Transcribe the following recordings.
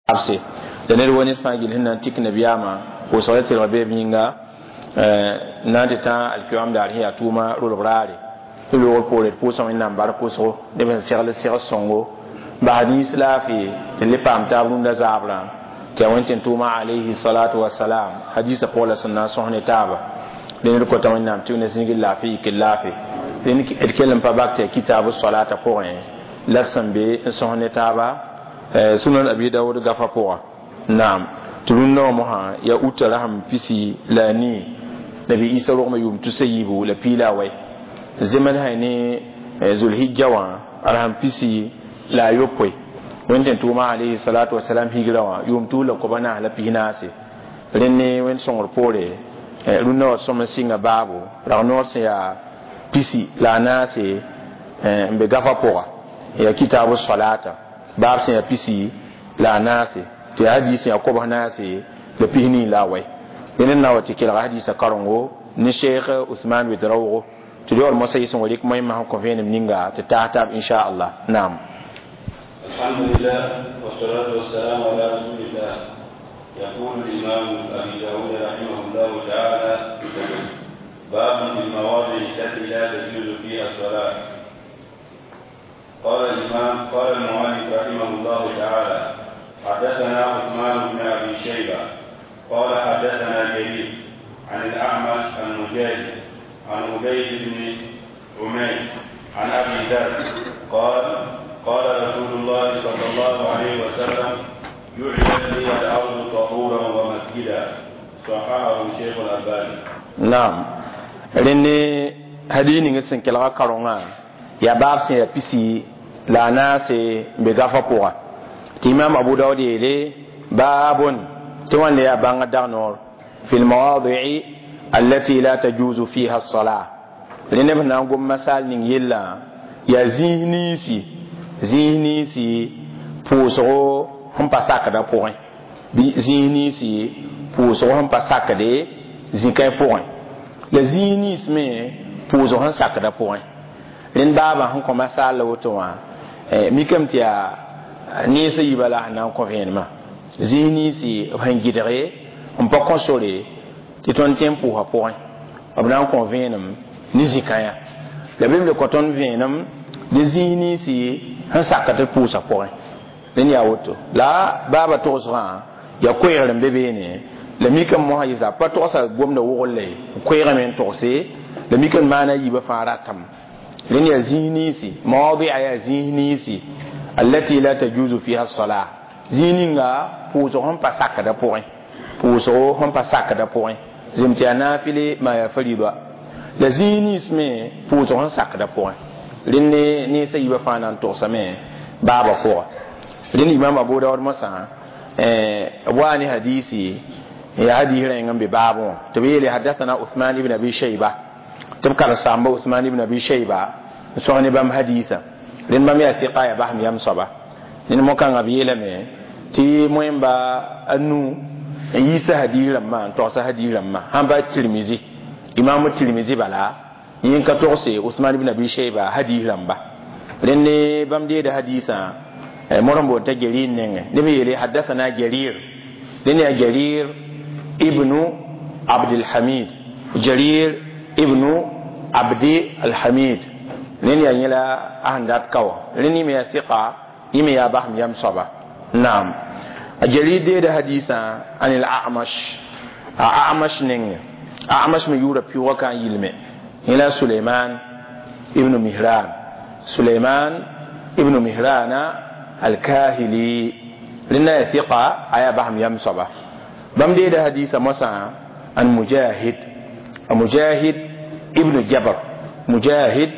Abse la ned wa ned fãa gill sẽn na n tik nabiyaamã pʋʋsg tɩrg beeb yĩnga na n tɩ tã alkiyoam daar sẽn yaa tʋʋma rolg raare tɩ loogr poore d pʋʋsa Wẽnnaam bark wʋsgo neb sẽn segl seg sõngo bas nins laafɩ tɩ le paam taab rũndã zaabrã tɩ yaa wẽn tɩ n tʋʋma alayhi salatu wasalam hadisa pʋgã la sẽn na n sõs ne taaba dẽnd d kota Wẽnnaam tɩ ne zĩigr laafɩ yik laafɩ dẽnd d kell n pa bak tɩ yaa kitaab salata pʋgẽ la sẽn be n sõs ne taaba Sunan Abi Dawud gafa pʋga. Naam, tɩ rũndã wã mosã yaa uta rasem pisi la a nii nabi Isa rogmã yʋʋm tusa yiibu la piila a wɛ zems sã ne zulhijja wã rasem pisi la a yopoe wẽnd tɩ n tʋʋma alayhi salatu wasalam higra wã yʋʋm tus la koba naas la pis naase. Rẽnd ne wẽnd sõngr poore rũndã wa sõm n sɩnga baabo rag noor sẽn yaa pisi la a naase n be gafa pʋga yaa kitaabu salata baab sẽn yaa pisi la a naase tɩ yaa hadiis yaa kobs naase la pisnii la a wɛ. Dẽnd n na wa tɩ kelga hadiisã karengo ne Sheikh Usman Wedraoogo tɩ yaool moasã yɩ sẽn wa rɩk moẽmã sẽn kõ vẽenem ninga tɩ taas taab inchallah. Naam. الحمد لله والصلاة والسلام على رسول الله. يقول الإمام أبي داود رحمه الله تعالى: باب في المواضع التي لا تجوز فيها الصلاة. قال الإمام، قال المؤلف رحمه الله تعالى: حدثنا عثمان بن أبي شيبة قال حدثنا جرير عن الأعمش عن مجاهد عن عبيد بن عمير عن أبي ذر قال: قال رسول الله صلى الله عليه وسلم: جعلت لي الأرض طهورا ومسجدا. صححه الشيخ الألباني. Naam, rẽnd hadis ning sẽn kelga karongã yaa baab sẽn yaa pisi la a naase n be gafa pʋga tɩ imam Abu Daood yeele baabun tɩ wãnda yaa bãngã dag noor fi lmawadi'i allati la tajuzu fiha as-salah. Rẽnd b na n gom masal ning yellã yaa zĩis ninsi pʋʋsgo sẽn pa sakdã pʋgẽ bɩ zĩis ninsi pʋʋsgo sẽn pa sakde zĩ-kãe pʋgẽ la zĩis nins me pʋʋsg sẽn sakdã pʋgẽ. Rẽnd baabã sẽn kõ masal la woto wã mikame tɩ yaa nensã yiibã la sẽn na n kõ vẽenemã zĩis ninsi b sẽn gɩdge n pa kõ sore tɩ tõnd tẽ n pʋʋsa pʋgẽ b na n kõ vẽenem ne zĩ-kãyã la bɩ b le kõ tõnd vẽenem ne zĩis ninsi sẽn sak tɩ pʋʋsa pʋgẽ. Rẽnd yaa woto la baaba togsgã yaa koɛɛgr n be beene la mikame mosã yɩ pa togsa gomda wogl ye koɛɛgame n togse la mikame maana yiibã fãa ratame. Rẽnd yaa zĩis ninsi mawadia yaa zĩis ninsi allati la tajuzu fiha as-salah zĩig ninga pʋʋsg sẽn pa sakdã pʋgẽ, pʋʋsgo sẽn pa sakdã pʋgẽ zem tɩ yaa naafɩle maa yaa farida la zĩig nins me pʋʋsg sẽn sakdã pʋgẽ. Rẽnd ne nensã yiibã fãa na n togsame baabã pʋga. Rẽnd imam Abu Daood mosã b waa ne hadisi ya hadis rẽng n be baabẽ wã tɩ b yeele hadathana Uthman ibn Abi Shayba tɩ b karen-saamba Uthman ibn Abi Shayba n sõs ne bãmb hadisã. Rẽnd bãmb yaa tɩka yaa basem yam soaba. Ned mo-kãngã b yeelame tɩ moẽmba a nu n yiisa hadis rãmbã n togsa hadis rãmbã sãn pa Tirmizi imam Tirmizi bala yẽ ka togse Usman ibn Abi Shayba hadis rãmba. Rẽnd ne bãmb deeda hadisã mor n boond t'a Jarir nengẽ neb yeele hadathana Jarir. Rẽnd yaa Jarir ibnu Abdilhamid, Jarir ibnu Abdi Alhamid. Rẽnd yaa yẽla a sẽn dat ka wã rẽnd yẽ me yaa sɩka yẽ me yaa basem yam soaba. Naam, a Jarir deeda hadisã an el Amash a Amash nengẽ. Amash me yʋʋra pɩʋʋga ka n yilme yẽla Suleiman ibnu Mihran, Suleiman ibnu Mihrana Alkahili. Rẽnda yaa sɩka a yaa basem yam soaba. Bãmb deeda hadisa mosã an Mujahid, a Mujahid ibnu Jabr, Mujahid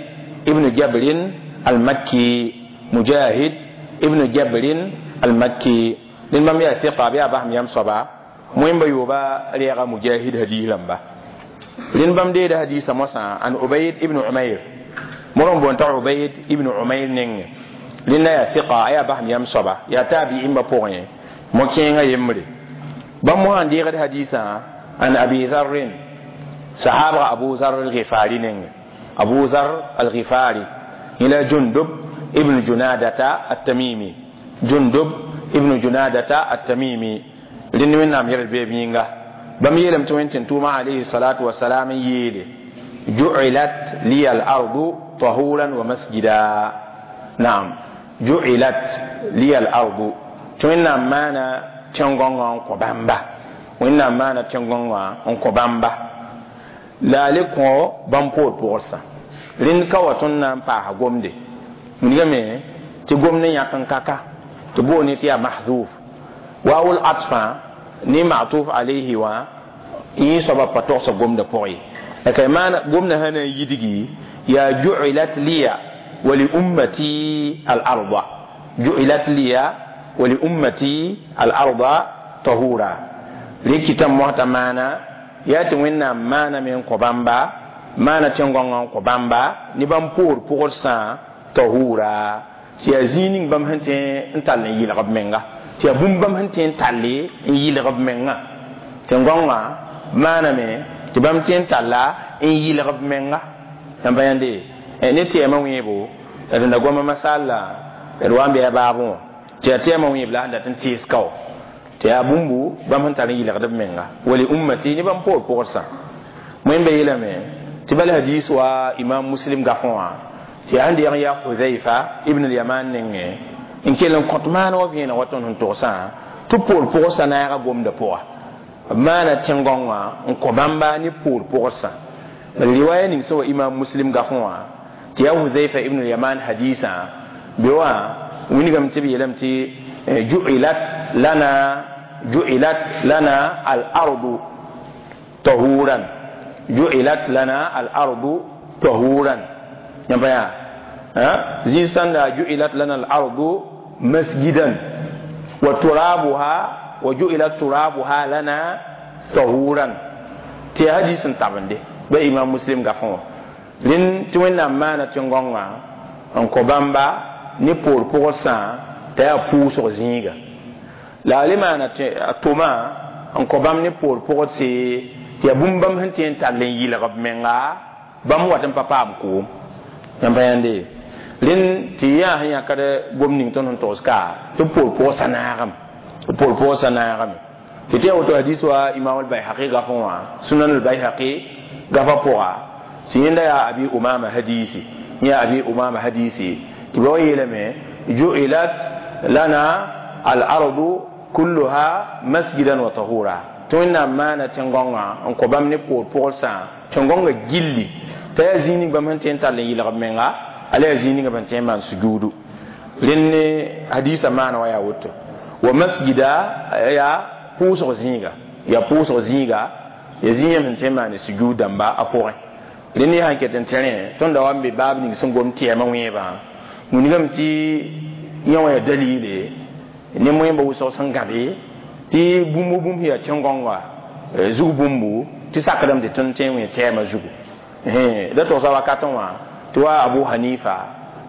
ibnu Jabrin Almakki, Mujahid ibnu Jabrin Almakki. Rẽnd bãmb yaa sɩka b yaa basem yam soaba moẽmba yooba rɛɛga Mujahid hadis rãmba. Rẽnd bãmb deeda hadisa mosã an Ubayd ibnu Umayr mor n boond t'a Ubayd ibnu Umayr nengẽ. Rẽnda yaa sɩka a yaa basem yam soaba yaa taabi'imba pʋgẽ mo-kẽengã yembre. Bãmb mosã n deegd hadisã an Abi Zarrin sahabga Abu Zar al-Ghifari nengẽ. Abu Zar al-Ghifari yẽla Jundub ibn Junadata at-Tamimi, Jundub Ibn Junadata at-Tamimi rẽnd Wẽnnaam yɛl beeb yĩnga bãmb yeelame tɩ Wẽn tɩ tʋʋma alayhi salatu wasalam n yeele ju'ilat liya al-ardu tahuran wa masjida. Naam, ju'ilat liya al-ardu tɩ Wẽnnaam maana tẽn-gõngã n kõ bãmba, Wẽnnaam maana tẽn-gõngã n kõ bãmba la a le kõ bãmb poor pʋgsã. Rẽnd ka wa tõnd na n paasa gomde wilgame tɩ gomd n yãk n kaka tɩ boone tɩ yaa mahzuf wawul atfã ne matuf alayhi wã yẽ soaba pa togsa gomdã pʋgẽ ye. La ka maana gomdã sã na n yidgi yaa ju'ilat liya wa li ummati al arda, ju'ilat liya wa li ummati al arda tahura. Rẽ kɩtame mosã maana yaa tɩ Wẽnnaam maaname n kõ bãmba, maana tẽn-gõngã n kõ bãmba ne bãmb poor pʋgsã tahura, tɩ yaa zĩig ning bãmb sẽn tõe n tall n yɩlg b menga, tɩ yaa bũmb bãmb sẽn tõe n talle n yɩlg b menga. Tẽn-gõngã maaname tɩ bãmb tõe n talla n yɩlg b menga. Yãmb pa yãnde ne tɛɛmã wẽebo d da goama masalla d wa n bɩ a baabẽ wã tɩ yaa tɛɛmã wẽeb la sẽn dat n tees kao tɩ yaa bũmbu bãmb sẽn tar n yɩlgd b menga wali ummati ne bãmb poor pʋgsã. Wẽnda yeelame tɩ bal hadis wa Imam Muslim gafẽ wã tɩ yaa sẽn deeg n yaa Huzaifa ibn al-Yaman nengẽ n kell n kõt maan wa vẽeneg wa tõnd sẽn togsã tɩ poor pʋgsã naaga gomdã pʋga b maana tẽn-gõngã n kõ bãmba ne poor pʋgsã. Riwaya ning sẽn wa Imam Muslim gafẽ wã tɩ yaa Huzaifa ibn al-Yaman hadisã be wã wilgame tɩ b yeelame tɩ ju'ilat lana, ju'ilat lana al-ardu tahuran, ju'ilat lana al-ardu tahuran. Yãmb pa yaa zĩig sãnda ju'ilat lana al-ardu masjidan wa turabuha wa ju'ilat turabuha lana tahuran. Tɩ yaa hadis n tabende ba Imam Muslim gafẽ wã. Rẽnd tɩ Wẽnnaam maana tẽn-gõngã n kõ bãmba ne poor pʋgsã t'a yaa pʋʋsg zĩiga. La a le maana a tʋma n kõ bãmb ne poor pʋgse tɩ yaa bũmb bãmb sẽn tõe n tall n yɩlg b menga bãmb wat n pa paam koom. Yãmb pa yãnde rẽnd tɩ yaa sẽn yãkd gom ning tõnd sẽn togs ka tɩ poor pʋgsã naagame, tɩ poor pʋgsã naagame. Tɩ tɩ woto hadis wa Imam al-Bayhaqi gafẽ wã, Sunan al-Bayhaqi gafã pʋga tɩ yẽnda yaa Abi Umama hadisi, yã Abi Umama hadisi tɩ ba wa yeelame ju'ilat lana al-ardu kulluha masjidan wa tahura. Tɩ Wẽnnaam maana tẽn-gõngã n kõ bãmb ne poor pʋgsã tẽn-gõngã gilli t'a yaa zĩig ning bãmb sẽn tõe n tall n yɩlg b menga, ala yaa zĩig ninga bãmb tõe n maan sujuudu. Rẽnd ne hadisã maana wa yaa woto wa masjida yaa pʋʋsg zĩiga, yaa pʋʋsg zĩiga, yaa zĩig yãmb sẽn tõe n maan sujuud dãmba a pʋgẽ. Rẽnd ne sãn ket n tẽrẽ tõnd da wa n be baab ning sẽn gom tɛɛmã wẽebã wilgame tɩ yã wã yaa dalile ne moẽmba wʋsg sẽn gãbe tɩ bũmb bũmb sẽn yaa tẽn-gõnga zug bũmbu tɩ sakdame tɩ tõnd tõe n wẽ tɛɛmã zugu. Da togsa wakatẽ wã tɩ wa Abu Hanifa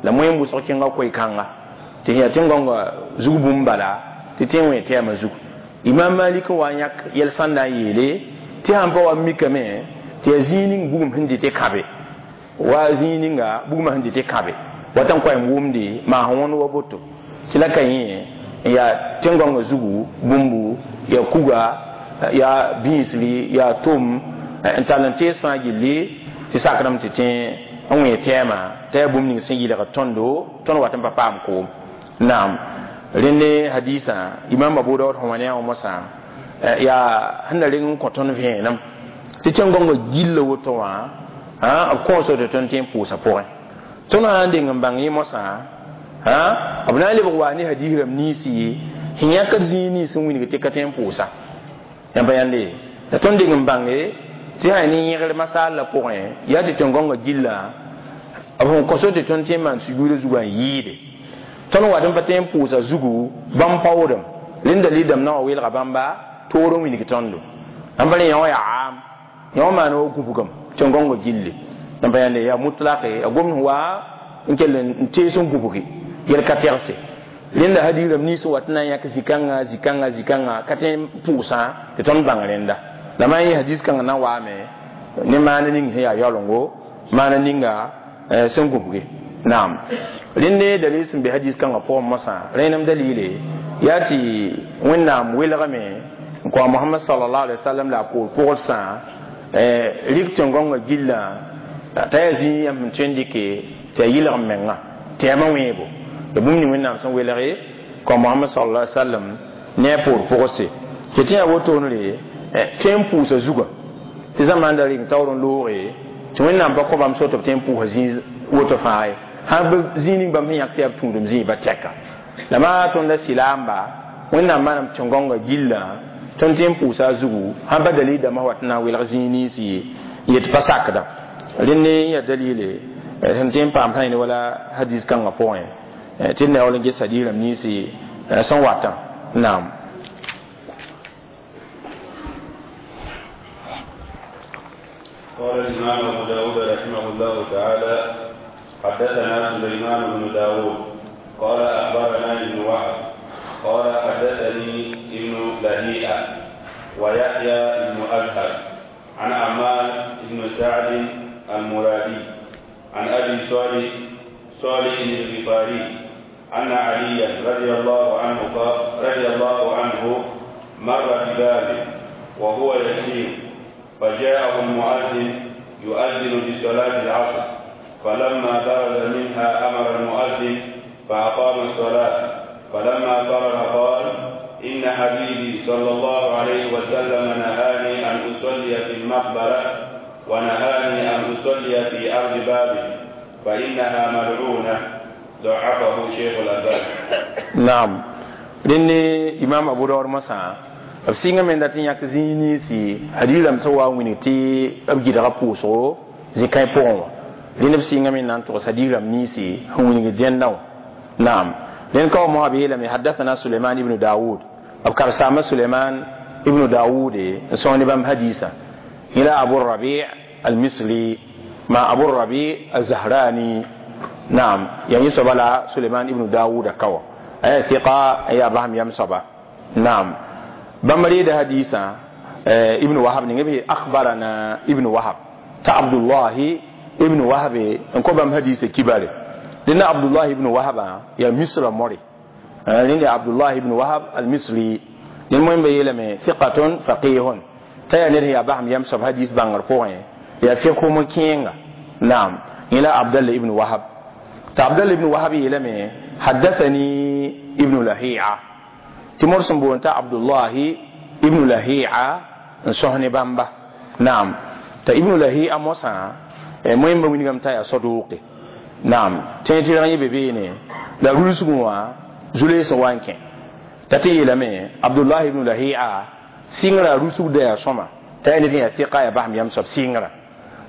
la moẽm wʋsg kẽnga koe-kãnga tɩ sẽn yaa tẽn-gõnga zug bũmb bala tɩ tõe n wẽ tɛɛmã zugu. Imam Malik n wa n yãk yɛl sãn na n yeele tɩ sãn pa wa n mikame tɩ yaa zĩig ning bugum sẽn dɩ tɩ kãbe wa zĩig ninga bugmã sẽn dɩ tɩ kãbe wat n koɛɛm wʋmde maas wõnd wa boto tɩ la ka yẽ n yaa tẽn-gõngã zugu bũmbu yaa kuga yaa bĩisri yaa tʋm n tall n tees fãa gilli tɩ sakdame tɩ tẽ n wẽ tɛɛmã t'a yaa bũmb ning sẽn yɩlgd tõndo tõnd wat n pa paam koom. Naam, rẽnd ne hadisã Imam Abu Daud sẽn wa ne a wã mosã yaa sẽn na reng n kõ tõnd vẽenem tɩ tẽn-gõngã gilla woto wã b kõoso tɩ tõnd tẽ n pʋʋsa pʋgẽ. Tõnd sã n deng n bãng yẽ mosã b na n lebg wa ne hadis rãmb niisi sẽn yãkd zĩig nins sẽn wilg tɩ ka tõe n pʋʋsa. Yãmb pa yãnde la tõnd deng n bãnge tɩ sã ne yẽgr masaal pʋgẽ yaa tɩ tẽn-gõngã gilla b sẽn kõso tɩ tõnd tõe n maan sujuudã zugã n yɩɩde tõnd wat n pa tõe n pʋʋsa zugu bãmb paoodem rẽnd dalil dãmb na wa weelga bãmba toor n wilg tõndo. Ãmb rẽ yã wã yaa aam yã wã maana wa gũbgame tẽn-gõngã gilli. Yãmb pa yãnde yaa mutlake yaa gomd wa n kell n tees n gũbge yɛl ka tɛgse. Rẽnda hadis rãmb nins wat n na n yãk zĩ-kãngã zĩ-kãngã zĩ-kãngã ka tõe n pʋʋsã tɩ tõnd bãng rẽnda. La maan yẽ hadis kãngã na n waame ne maana ning sẽn yaa yaolengo maana ninga sẽn gũbge. Naam, rẽnd ne dalil sẽn be hadis kãngã pʋgẽ mosã rẽnem dalile Yaa tɩ Wẽnnaam welgame n kõ a Mohamad salallahu alaihi wasallam la a poor pʋgsã rɩk tẽn-gõngã gillã t'a yaa zĩig yãmb sẽn tõe n dɩke tɩ yaa yɩlg menga tɩ yaa wẽebo la bũmb ning Wẽnnaam sẽn welge kõ Mohamad sallallahu alaihi wasallam ne a poor pʋgse tɩ tɩ yaa wotone tõe n pʋʋsa zugã tɩ zãma da rɩng taoor n looge tɩ Wẽnnaam pa kõ bãmb so tɩ b tõe n pʋʋsa zĩig woto fãa ye sã zĩig ning bãmb sẽn yãk tɩ yaa b tũudem zĩig ba tɛka la maa tõnd la sɩlaamba Wẽnnaam maanam tẽn-gõngã gillã tõnd tɩ n pʋʋsa a zugu sãn pa dalil dãmbã wa tɩ na n welg zĩig ninsi n yet pa sakda rẽnd n yaa dalile sẽn tɩ n paam sã wala hadis kãngã pʋgẽ tɩ d na yaool n ges hadis rãmb ninsi sẽn watã naam. قال الإمام أبو داود رحمه الله تعالى حدثنا سليمان بن داود قال أخبرنا ابن وهب قال حدثني ابن لهيئة ويحيى بن أزهر عن عمار بن سعد المرادي عن أبي صالح الغفاري أن عليا رضي الله عنه مر ببابه وهو يسير فجاءه المؤذن يؤذن بصلاة العصر، فلما برز منها أمر المؤذن فأقام الصلاة، فلما فرغ قال إن حبيبي صلى الله عليه وسلم نهاني أن أصلي في المقبرة ونهاني أن أصلي في أرض بابل فإنها ملعونة. ضعفه شيخ الألباني. نعم. لأن إمام أبو داود مسا b sɩngame me dat n yãk zĩig ninsi hadiis rãmb sẽn wa n wilg tɩ b gɩdga pʋʋsgo zĩ-kãe pʋgẽ wã rẽnd b sɩngame n na n togs hadiis rãmb ninsi sẽn wilg dẽndã wã naam. Rẽnd ka wa mosã b yeelame hadathana Suleiman ibn Daoud b karsaama Suleiman ibn Daoud n sõng ne bãmb hadiisã yẽla Abu Rabi al-Misri ma Abu Rabi al-Zahrani naam yaa yẽ soaba la Suleiman ibn Daoud a ka wã a yaa thɩka a yaa basem yam soaba naam. Bãmb reeda hadiisã ibn Wahab ning b akhbarana ibn Wahab t'a Abdullahi ibn Wahab n kõ bãmb hadiisã kibare rẽnda Abdullahi ibn Wahaba yaa Misra more rẽnda Abdullahi ibn Wahab al-Misri rẽnd moẽmba yeelame thiqatun faqihun t'a yaa ned sẽn yaa basem yam soab hadiis bãngr pʋgẽ yaa fiqhum kẽenga naam. Yẽ la Abdallah ibn Wahab t'a Abdallah ibn Wahab yeelame haddathani ibn Lahi'a tɩ mor sẽn boond t'a Abdullahi ibn Lahi'a n sõs ne bãmba naam. T'a ibn Lahi'a mosã moẽmba wilgame t'a yaa saduqe naam tẽ tɩ rẽg yẽ be beene la rulsgẽ wã zu-lees n wa n kẽ t'a tɩ yeelame Abdullahi ibn Lahi'a sɩngrã rusgda yaa sõma t'a yaa ned sẽn yaa fɩka yaa basem yam soab sɩngrã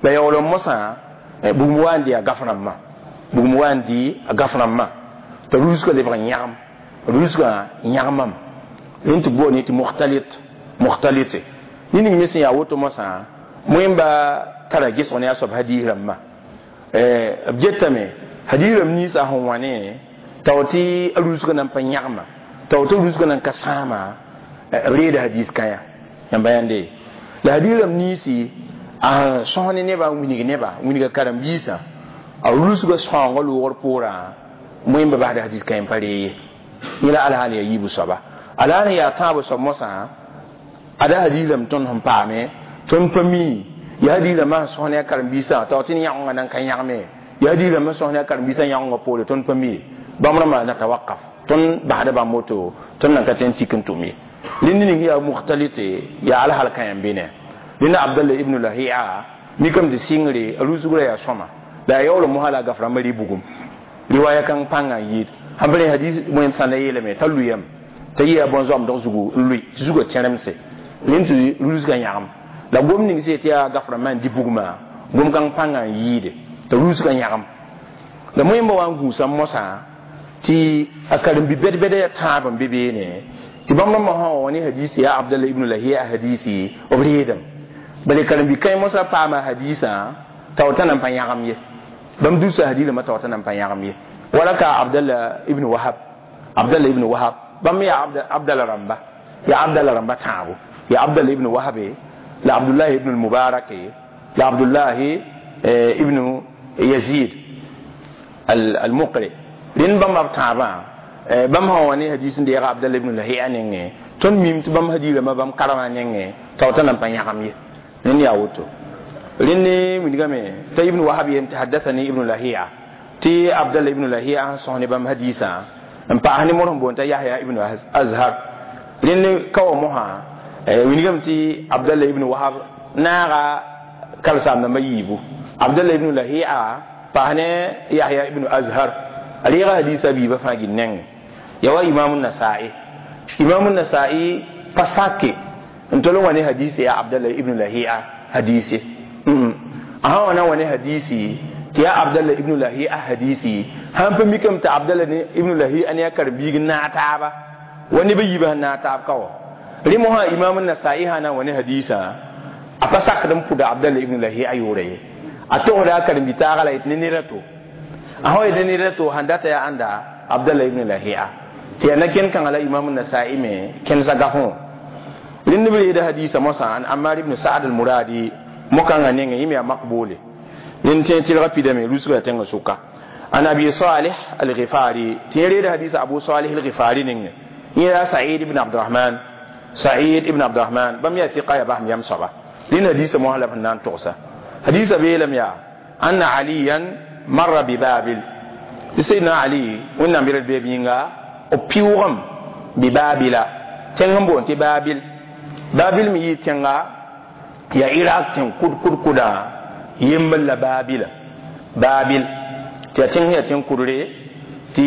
la yaool n mosã bugum wa n dɩ a gaf rãmbã bugum wa n dɩ a gaf rãmbã t'a rusgã lebg n yãgem rusgã yãgemam rẽnd tɩ boond tɩ mukhtalite ned ning me sẽn yaa woto mosã moẽmba tara gesg ne a soab hadiis rãmbã b getame hadiis rãmb ninsã sẽn wã ne tao tɩ a rusgã nan pa yãgema tao tɩ rusgã nan ka sãama b reeda hadiis kãyã yãmba yãnde la hadiis rãmb ninsi a sẽn sõs ne nebã n wilg nebã wilga karen-biisã a rusgã sõangã loogr poorã moẽmba basda hadiis kãyã n pa ree ye yẽ la alhaal yaa yiibu soaba alhaal yaa tãabo soab mosã ada hadiis rãmb tõnd sẽn paame tõnd pa mi ya hadiis rãmbã sẽn sõs ne a karen-biisã tao tɩ yãgengã nan ka yãgeme ya hadiis rãmbã sõs ne a karen-biisã yãgengã poore tõnd pa mi bãmb rãmbã na tawakaf tõnd basda bãmb woto tõnd nan ka tõe n tik n tʋm ye rẽnd ning yaa mukhtalite yaa alhaal kãyã n be ne rẽnda Abdallah ibn Lahi'a mikame tɩ sɩngre a rusgrã yaa sõma la a yaool mosã la a gaf rãmbã rɩ bugum riwaya kãng pãngã n yɩɩd sãn pa rẽ hadis wẽnd sãnda yeelame t'a lʋyame t'a yɩa bõn-zoamdg zugu n lʋɩ tɩ zugã tẽremse rẽnd tɩ rusgã yãgem la gom ning sẽn tɩ yaa gaf rãmbã n dɩ bugmã gom kãng pãngã n yɩɩde t'a rusgã yãgem la moẽmba wa n gũusa mosã tɩ a karen-bi bɛd-bɛda yaa tãab n be beene tɩ bãmb rãmbã sã wa ne hadisi yaa Abdallah ibn Lahiya hadisi b reedame bala karen-bi kãe mosã paama hadisã t'a wa t'a nan pa yãgem ye bãmb dusa hadis rãmbã t'a wa t'a nan pa yãgem ye wala ka Abdallah ibn Wahab Abdallah ibn Wahab bãmb yaa Abdallah rãmba yaa Abdallah rãmba tãabo yaa Abdallah ibn Wahab la Abdullah ibn al-Mubarak la Abdullah ibn Yazid al-Muqri rẽnd bãmba b tãabã Bãmb sã wa ne hadis n deega Abdallah ibn Lahia nengẽ, tõnd mim tɩ bãmb hadiirãmbã bãmb karemã nengẽ t'a wata nan pa yãgem ye. Rẽnd yaa woto. Rẽnd wilgame t'a Ibn Wahab yem tɩ haddathani Ibn Lahia, tɩ Abdallah ibn Lahia sẽn sõs ne bãmb hadiisã n paas ne modg n boond t'a Yahya ibn Azhar. Rẽnd ka wa mosã wilgame tɩ Abdallah ibn Wahab naaga kalsaam-dãmbã yiibu. Abdallah ibn Lahia paas ne Yahya ibn Azhar, a reega hadiisã biibã fãa gil nengẽ. Ya wa Imam Nasa'i, Imam Nasa'i pa sake n tol n wa ne hadisi ya Abdallah ibn Lahia hadisi. A sã wa na wa ne hadisi tɩ yaa Abdallah ibn Lahia hadisi, sãn pa mikame tɩ Abdallah ibn Lahia ne a karen-biig n naag taaba wa neb a yiibã sẽn naag taab ka wa. Rẽ mosã Imam Nasa'i sã na n wa ne hadiisã, a pa sakd n pʋda Abdallah ibn Lahia yʋʋra ye. A togsda a karen-bi-taagã la yetɩ ne ned a to. A sã yet ne ned a to sãn data yaa ãnda Abdallah ibn Lahia. Tɩ yaa na-kẽnd kãngã la Imam Nasa'i me kẽnesa gafẽ wã. Rẽnd b reeda hadiisã mosã an Ammar ibn Sa'd al-Muradi mo-kãngã nengẽ, yẽ me yaa makboole. Rẽnd tẽ tɩlga pidame rusga yaa tẽngã sʋka. An Abi Salih al-Ghifari, tɩ yẽ reeda hadiisã Abu Salih al-Ghifari nengẽ. Yẽ yaa Sa'id ibn Abdurrahman. Sa'id ibn Abdurrahman bãmb yaa fiqa yaa basem yam soaba. Rẽnd hadiisã mosã la b sẽn na n togsa. Hadiisã beelame yaa anna Aliyan marra bi Babil. Tɩ Sayyidina Ali Wẽnnaam yɛl beeb yĩnga b pɩʋʋgem bi Babila tẽng n boond tɩ Babil. Babil me yɩ tẽnga yaa Iraq tẽng kud kud kudã yembr la Babila. Babil tɩ yaa tẽng yaa tẽng kudre tɩ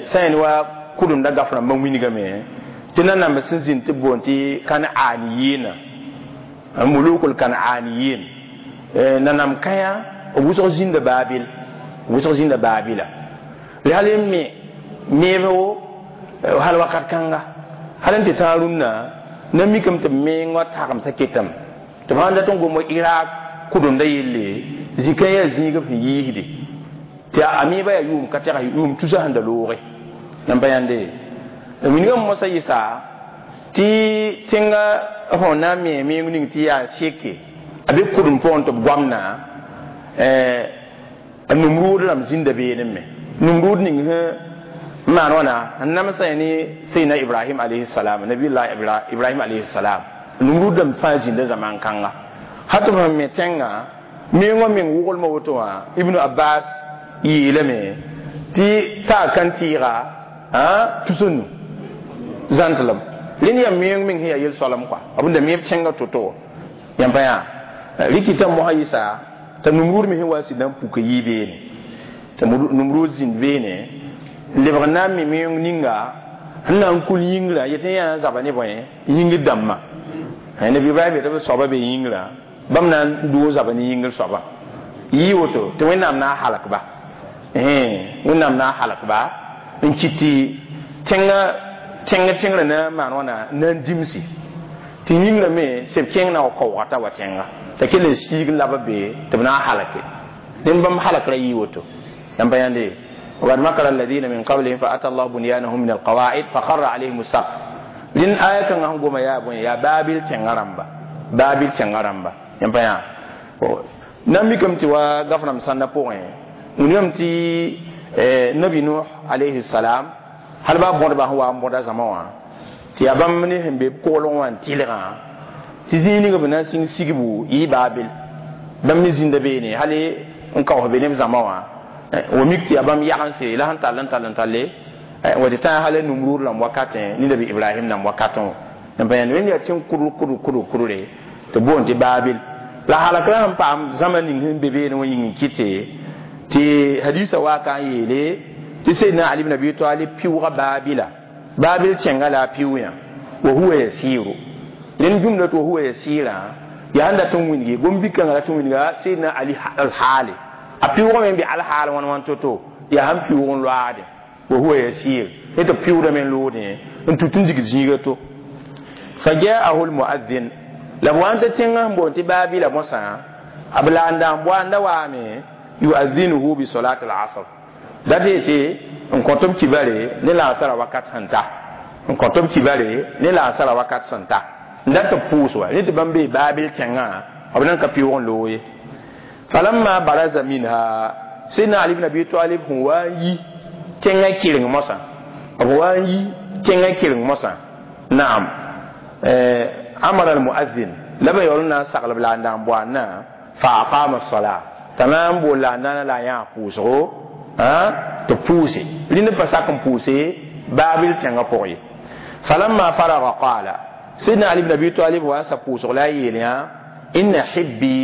sã yẽnd wa kudemda gaf rãmbã wingame tɩ nanamb sẽn zĩnd tɩ b boond tɩ Kan'aniyiina, mulukul Kan'aniyin, nanam kãyã b wʋsg zĩnda Babil, wʋsg zĩnda Babila. Hal n me meebo hal wakat kãnga hal n tɩ tãag rũnnã na mikame tɩ b meng wa tagemsã ketame tɩ b sãn dat n gom Iraq kudemda yelle zikã yaa zĩig b sẽn yiisde tɩ a meebã yaa yʋʋm ka tɛgs yʋʋm tusa sẽn da looge nan pa yãnde. Wilgame mosã yɩsa tɩ tẽnga sẽn na n me meng ning tɩ yaa seke a be kudem pʋgẽ tɩ b goamna a Numrud rãmb zĩnda beene me. Numrud ning sẽn n maan wãna n namsã ne Sayyidina Ibrahim alayhi salam, Nabiyullah Ibrahim alayhi salam. Numrud rãmb fãa zĩnda zaman kãnga hal tɩ b sẽn me tẽngã mengã meng wʋglmã woto wã. Ibn Abbas yeelame tɩ taa kan tɩɩga tus-n nu zãntlem. Rẽnd yaa meng meng sẽn yaa yel-soalem kɔa b da meeb tẽngã to-to yãmb pa yaa rikita mosã yɩsa t'a Numrud me sẽn wa sɩd na n puka yɩ beene t'a Numrud zĩnd beene n lebg n na n me meng ninga sẽn na n kul yĩngrã yetɩ yaa n zaba ne bõe yĩngr dãmbã. Nabi Ibrahim yetɩ b soaba be yĩngrã bãmb na n doog zaba ne yĩngr soaba yɩ woto tɩ Wẽnnaam na n halk ba, Wẽnnaam na n halk ba n kɩt tɩ tẽngã tẽng tẽngrã na n maan wãna na n dimsi tɩ yĩngrã me seb kẽng na wa kaoogã t'a wa tẽnga t'a kell n siig n lab b be tɩ b na n halke ned bãmb halkra yɩ woto yãmb pa yãnde. وقد مكر الذين من قبلهم فأتى الله بنيانهم من القواعد فخر عليهم السقف. لين آية كان هم قوم يا بني يا بابل تنغرمبا بابل تنغرمبا yãmb pa yã na mikame tɩ wa gaf-rãmb sãnda pʋgẽ wilgame tɩ Nabi Nuh alayhi salam hal baa bõdba sẽn wa n bõda zãma wã tɩ yaa bãmb ne sẽn be b koglg wã n tɩlgã tɩ zĩig ning b na n sĩng sigbu yɩ Baabil bãmb me zĩnda beene hal n kaoos be ne b zãma wã wa mik tɩ yaa bãmb yagense la sẽn tall n tall n talle wa tɩ tã hal Numrud rãmb wakatẽ ne Nabi Ibrahim rãmb wakatẽ wã yãmb pa yãnd rẽnd yaa tẽng kudr kudr kudr kudre tɩ boond tɩ Baabil la halakra sẽn paam zãma ning sẽn be beene wã yĩng n kɩte tɩ hadiisã waa ka n yeele tɩ Sayyidina Ali ibn Abi Talib pɩʋʋga Baabila Baabil tẽngã la a pɩʋʋ yã wa huwa yasiru. Rẽnd jumla tɩ wa huwa yasira yaa sẽn dat n wilge gom-bikãngã dat n wilga Sayyidina Ali alhaale a pɩʋʋgame n be alhaal wãn wãn to-to yaa sẽn pɩʋʋg n loaade wa huwa yasir ne tɩ pɩʋʋdame n loodẽ n tut n dig zĩiga to. Fa jaahu lmuadhin la b wa n t'a tẽngã sẽn boond tɩ Baabila mosã a b la n da n boa n da waame yuadhinuhu bi solat al-asr dat yetɩ n kõt b kibare ne laasara wakat sẽn ta n kõt b kibare ne laasara wakat sẽn ta n dat tɩ b pʋʋs wa ne tɩ bãmb bee Baabil tẽngã b nan ka pɩʋʋg n loog ye. Falamma baraza minha Sayyidina Ali ibn Abi Talib sẽn wa n yi tẽngã kɩreng mosã b wa n yi tẽngã kɩreng mosã naam amara almuazzin la b yaool n na n saglb la n na n boandã fa aqama as-sala t'a na n bool la a nana la a yãag pʋʋsgo tɩ pʋʋse rĩnd pa sak n pʋʋse baabil tẽngã pʋgẽ ye falamma faraga qala sidna ali ibn abi talib wa n sa pʋʋsg la a yeel yã inna hibbi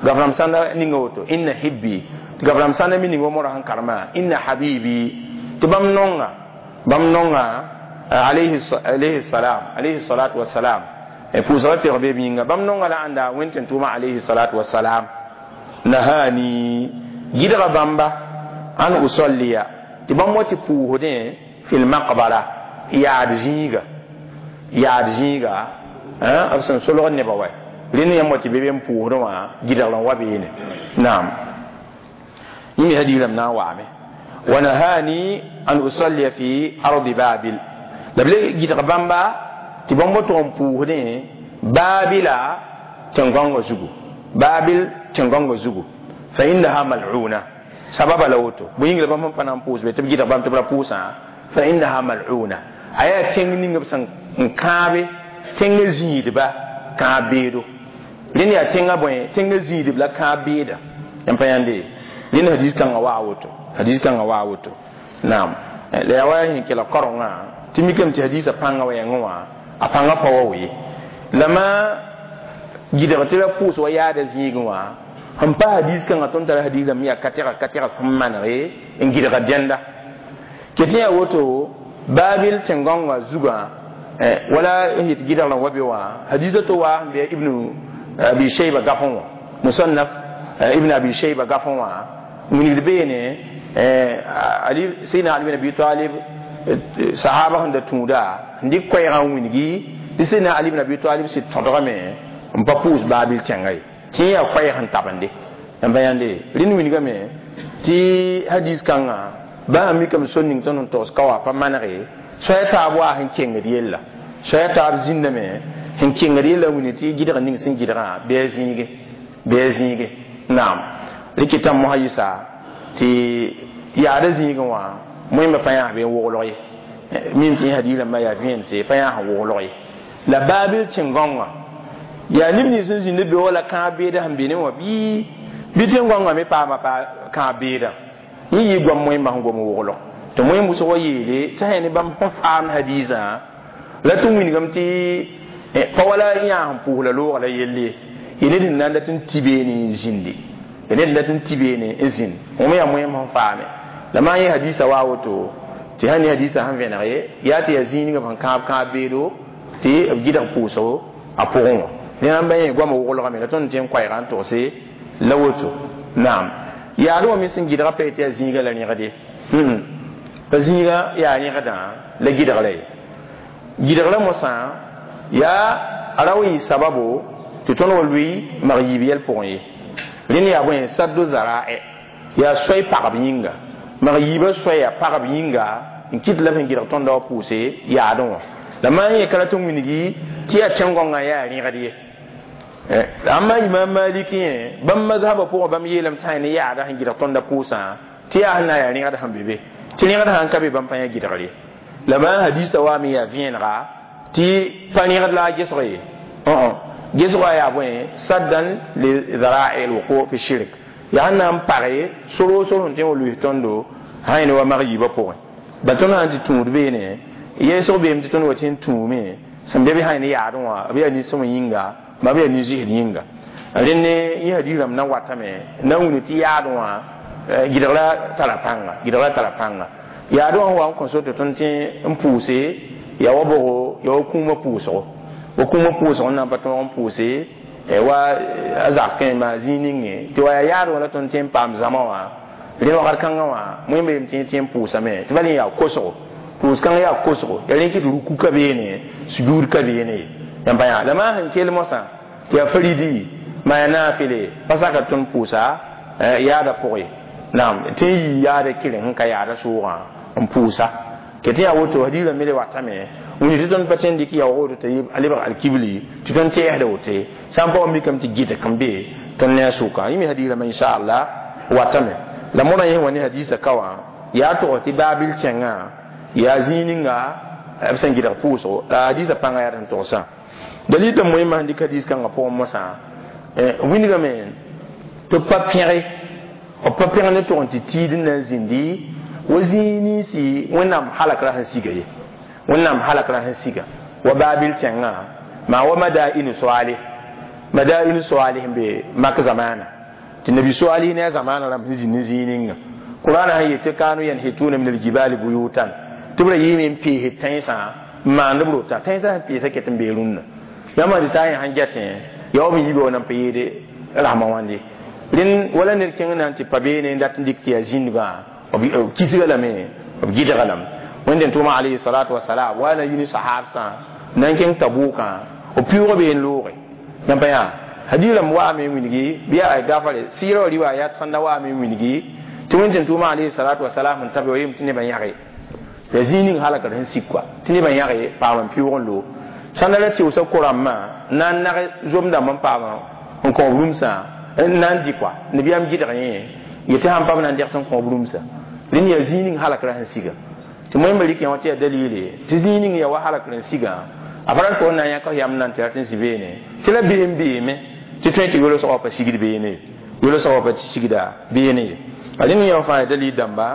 gafram sãnda ninga woto inna hibbi tɩ gafram sãnda mi ning wa mora sẽn karema inna habibi tɩ bãmb nonga alayhi salam alayhi salatu wassalam pʋʋsga tɩg be b yĩnga bãmb nonga la ãnda wẽn tʋʋma alayhi salatu wassalam nahani gɩdga bãmba an usalliya tɩ bãmb wa tɩ pʋʋsdẽ fi lmaqbara yaad zĩiga b sẽn solg nebã wa rẽnd yãmb wa tɩ be be n pʋʋsdẽ wã gɩdgr n wa beene naam yĩng hadiirame na n waame wa nahani an usalliya fi ardi babil la b le gɩdg bãmba tɩ bãmb wa tʋg n pʋʋsdẽ baabila tẽn-gãongã zugu baabil tẽn-gãongã zugu fa innaha mal'una sababa la woto bõe yĩng la bãmb sẽn pa na n pʋʋs be tɩ b gɩdg bãmb tɩ b ra pʋʋsã fa innaha mal'una a yaa tẽng ning b sẽn n kãabe tẽngã zĩidba kãab beedo rẽnd yaa tẽngã bõe tẽngã zĩidb la kãab beeda yãmb pa yãnde rẽnd hadis kãngã waa woto hadis kãngã waa woto naam la yaa wa sẽn kelg karengã tɩ mikame tɩ hadisã pãngã wa yãngẽ wã a pãngã pa wa ye la ma gɩdg tɩ ra pʋʋs wa yaada zĩigẽ wã sẽn pa hadis kãngã tõnd tara hadis rãmb yaa ka tɛga sẽn manege n gɩdga dẽnda ket yaa woto baabil tẽn-gãongã zugã wala n yet gɩdgrã wa be wã hadisa to wa sẽn bɩ ibnu abi shayba gafẽ wã musannaf ibn abi shayba gafẽ wã wilgd beene ali sayyidina ali bin abi talib sahaba sẽn da tũuda n dɩk koɛɛgã n wilgi tɩ sayyidina ali bin abi talib sɩd tõdgame n pa pʋʋs baabil tẽngã ye tɩ yaa koɛɛg sẽn tabende n pa yãnde rẽnd wilgame tɩ hadis kãngã bãmb mikame sor ning tõnd sẽn togs ka wa pa manege soaya taab waa sẽn kengd yella soaya taab zĩndame sẽn kengd yella wini tɩ gɩdg ning sẽn gɩdgã bɩ a zĩige naam rɩkɩtã mosã yɩsa tɩ yaada zĩigẽ wã moẽmba pa yãas be n woglg ye mim tɩ hadis rãmbã yaa vẽense pa yãas n woglg ye la baabil tẽn-gãongã yaa neb nins sẽn zĩnd be wala kãab beedã sẽn be ne wã bɩ tẽn-gãongã me paama kãab beedã yẽ yɩ goam moẽmbã sẽn gom woglg tɩ moẽm wʋsg wa yeele tɩ sã ne bãmb sẽn faam hadisã la tɩ wilgame tɩ pa wala yãas n pʋʋs la loogã la yelle ye ned sẽn na n dat n tɩ beene n zĩndi ye ned n dat n tɩ beene n zĩnd wẽm yaa moẽm sẽn faame la maa yẽ hadisã waa woto tɩ sã ne hadisã sẽn vẽneg ye yaa tɩ yaa zĩig ninga sẽn kãab kãab beedo tɩ b gɩdg pʋʋsgo a pʋgẽ wã rẽna n ba yẽ goamã woglgame la tõnd tɩ n koɛɛgã n togse la woto naam yaad wã me sẽn gɩdga pa tɩ yaa zĩiga la rẽgde pa zĩiga yaa rẽgdã la gɩdgra ye gɩdgra mosã yaa a ra wa yɩ sababo tɩ tõnd wa lʋɩ mag yiib yɛl pʋgẽ ye rẽnd yaa bõe saddo zaraɛ yaa soay pagb yĩnga mag yiibã soaya pagb yĩnga n kɩt la b sẽn gɩdg tõnda wa pʋʋse yaadẽ wã la maa yẽ ka rat n wilgi tɩ yaa tẽn-gãongã yaa rẽgd ye amma imam maliki yẽ bãmb mazhabã pʋgẽ bãmb yeelame tɩ sã ne yaada sẽn gɩdg tõnda pʋʋsã tɩ yaa sẽn na n yaa rẽgd sẽn be be tɩ rẽgd sãn ka be bãmb pa yã gɩdgr ye la bãmb hadisa waame yaa vẽenega tɩ pa rẽgd la a gesg ye gesgã yaa bõe saddan li zara'i alwuqu fi shirk yaa sẽn na n page soro sor sẽn tõe n wa lʋɩs tõndo sã ne wa mag yiibã pʋgẽ ba tõnd sã n tɩ tũud beene yɛɛsg beem tɩ tõnd wa tɩ n tũume sẽn be bɩ sã ne yaadẽ wã b yaa nin-sõm yĩnga ma b yaa nin-zɩsd yĩnga rẽnd yẽ hadis rãmb na watame na n wilg tɩ yaadẽ wã gɩdgra tara pãnga gɩdgra tara pãnga yaadẽ wã wa n kõ so tɩ tõnd tẽ n pʋʋse yaa wa bogo yaa wa kũumã pʋʋsgo wa kũumã pʋʋsg n na n pa tõog n pʋʋse wa a zak kẽ maa zĩig ninge tɩ wa yaa yaadẽ wã la tõnd tẽ n paam zãma wã rẽnd wakat kãngã wã moẽmba yem tɩ tẽ n pʋʋsame tɩ bal yẽ yaa kosgo pʋʋs kãngã yaa kosgo yaa rẽ kɩ tɩ ruku ka beene sujuud ka beene ye yãmb pa yã la maa sẽn kell mosã tɩ yaa faridi maa yaa naafɩle pa saka tõnd pʋʋsa yaada pʋgẽ naam tɩ n yii yaada kɩreng sẽn ka yaada soogã n pʋʋsa ke tɩ yaa woto hadiisã me le watame wĩni tɩ tõnd pa tẽn dɩk yaoog woto tɩ a lebg alkibli tɩ tõnd tɛɛsda wote sã n pa wa mikame tɩ gɩdg n be tõnd ne a sʋka yẽ me hadiisã inshallah watame la modã yẽ wa ne hadiisã ka wã Yaa tog tɩ baabil kẽngã yaa zĩig ninga b sẽn gɩdg pʋʋsgo la hadiisã pãngã yaa sẽn togsã dalil tɩ moẽmã sẽn dɩk hadiis kãngã pʋgẽ mosã wilgame tɩ pa pẽge b pa pẽg ne tog n tɩ tiid n na n zĩndi wa zĩig ninsi wẽnnaam halakra sẽn siga ye wẽnnaam halakra sẽn siga wa baabil kẽngã maa wa madainu soaaleh madainu soaaleh n be mak zamaana tɩ nabi soaalih ne a zamaana rãmb sẽn zĩnd n zĩig ninga qur'ana sẽn yet tɩ kanu yanhituna min aljibali buyutan tɩ b ra yɩɩme n peesd tãensã n maand b rota tãensã sẽn peesa ket n bee rũnnã yãmb tɩ taa yẽ sãn getẽ ya wa b yiiba wa nan pa yeede rasmã wãnde rẽnd wala ned kẽng na n tɩ pa beene n dat n dɩk tɩ yaa zĩndgã b kisga lame b gɩdga lame wẽnd n tʋʋma alayhi salatu wasalam wa na yi ne sahabsã na n kẽng tabukã b pɩʋʋg bee n looge yãmb pa yaa hadiis rãmb waame n wilgi bɩ yaa gafare sɩɩrã wa riwaayat sãnda waame n wilgi tɩ wẽnd tɩ tʋʋma alayhi salatu wasalam n tabe wa yem tɩ nebã yãge ya zĩig ning halakd sẽn sik kɔa tɩ nebã yãge paam n pɩʋʋg n loog sãnda ra tɩʋsa ko-rãmbã na n nag zom-dãmb n paam n kõob rũmsã n na n dɩ kɔa nabiyaam gɩdg yẽ yetɩ sãn pa b na n dɛgs n kõob rũmsã rẽnd yaa zĩig ning halakra sẽn siga tɩ moẽmba rɩk yã wã tɩ yaa dalile tɩ zĩig ning yaa wa halakr n sigã a pa rat n na n yãk yam n na n tɩ rat n zĩ beene tɩ la beem beeme tɩ tõe tɩ yolsgã pa sigd beene yolsgã pa sigda beene ye a rẽnd yã fãa yaa dalil dãmba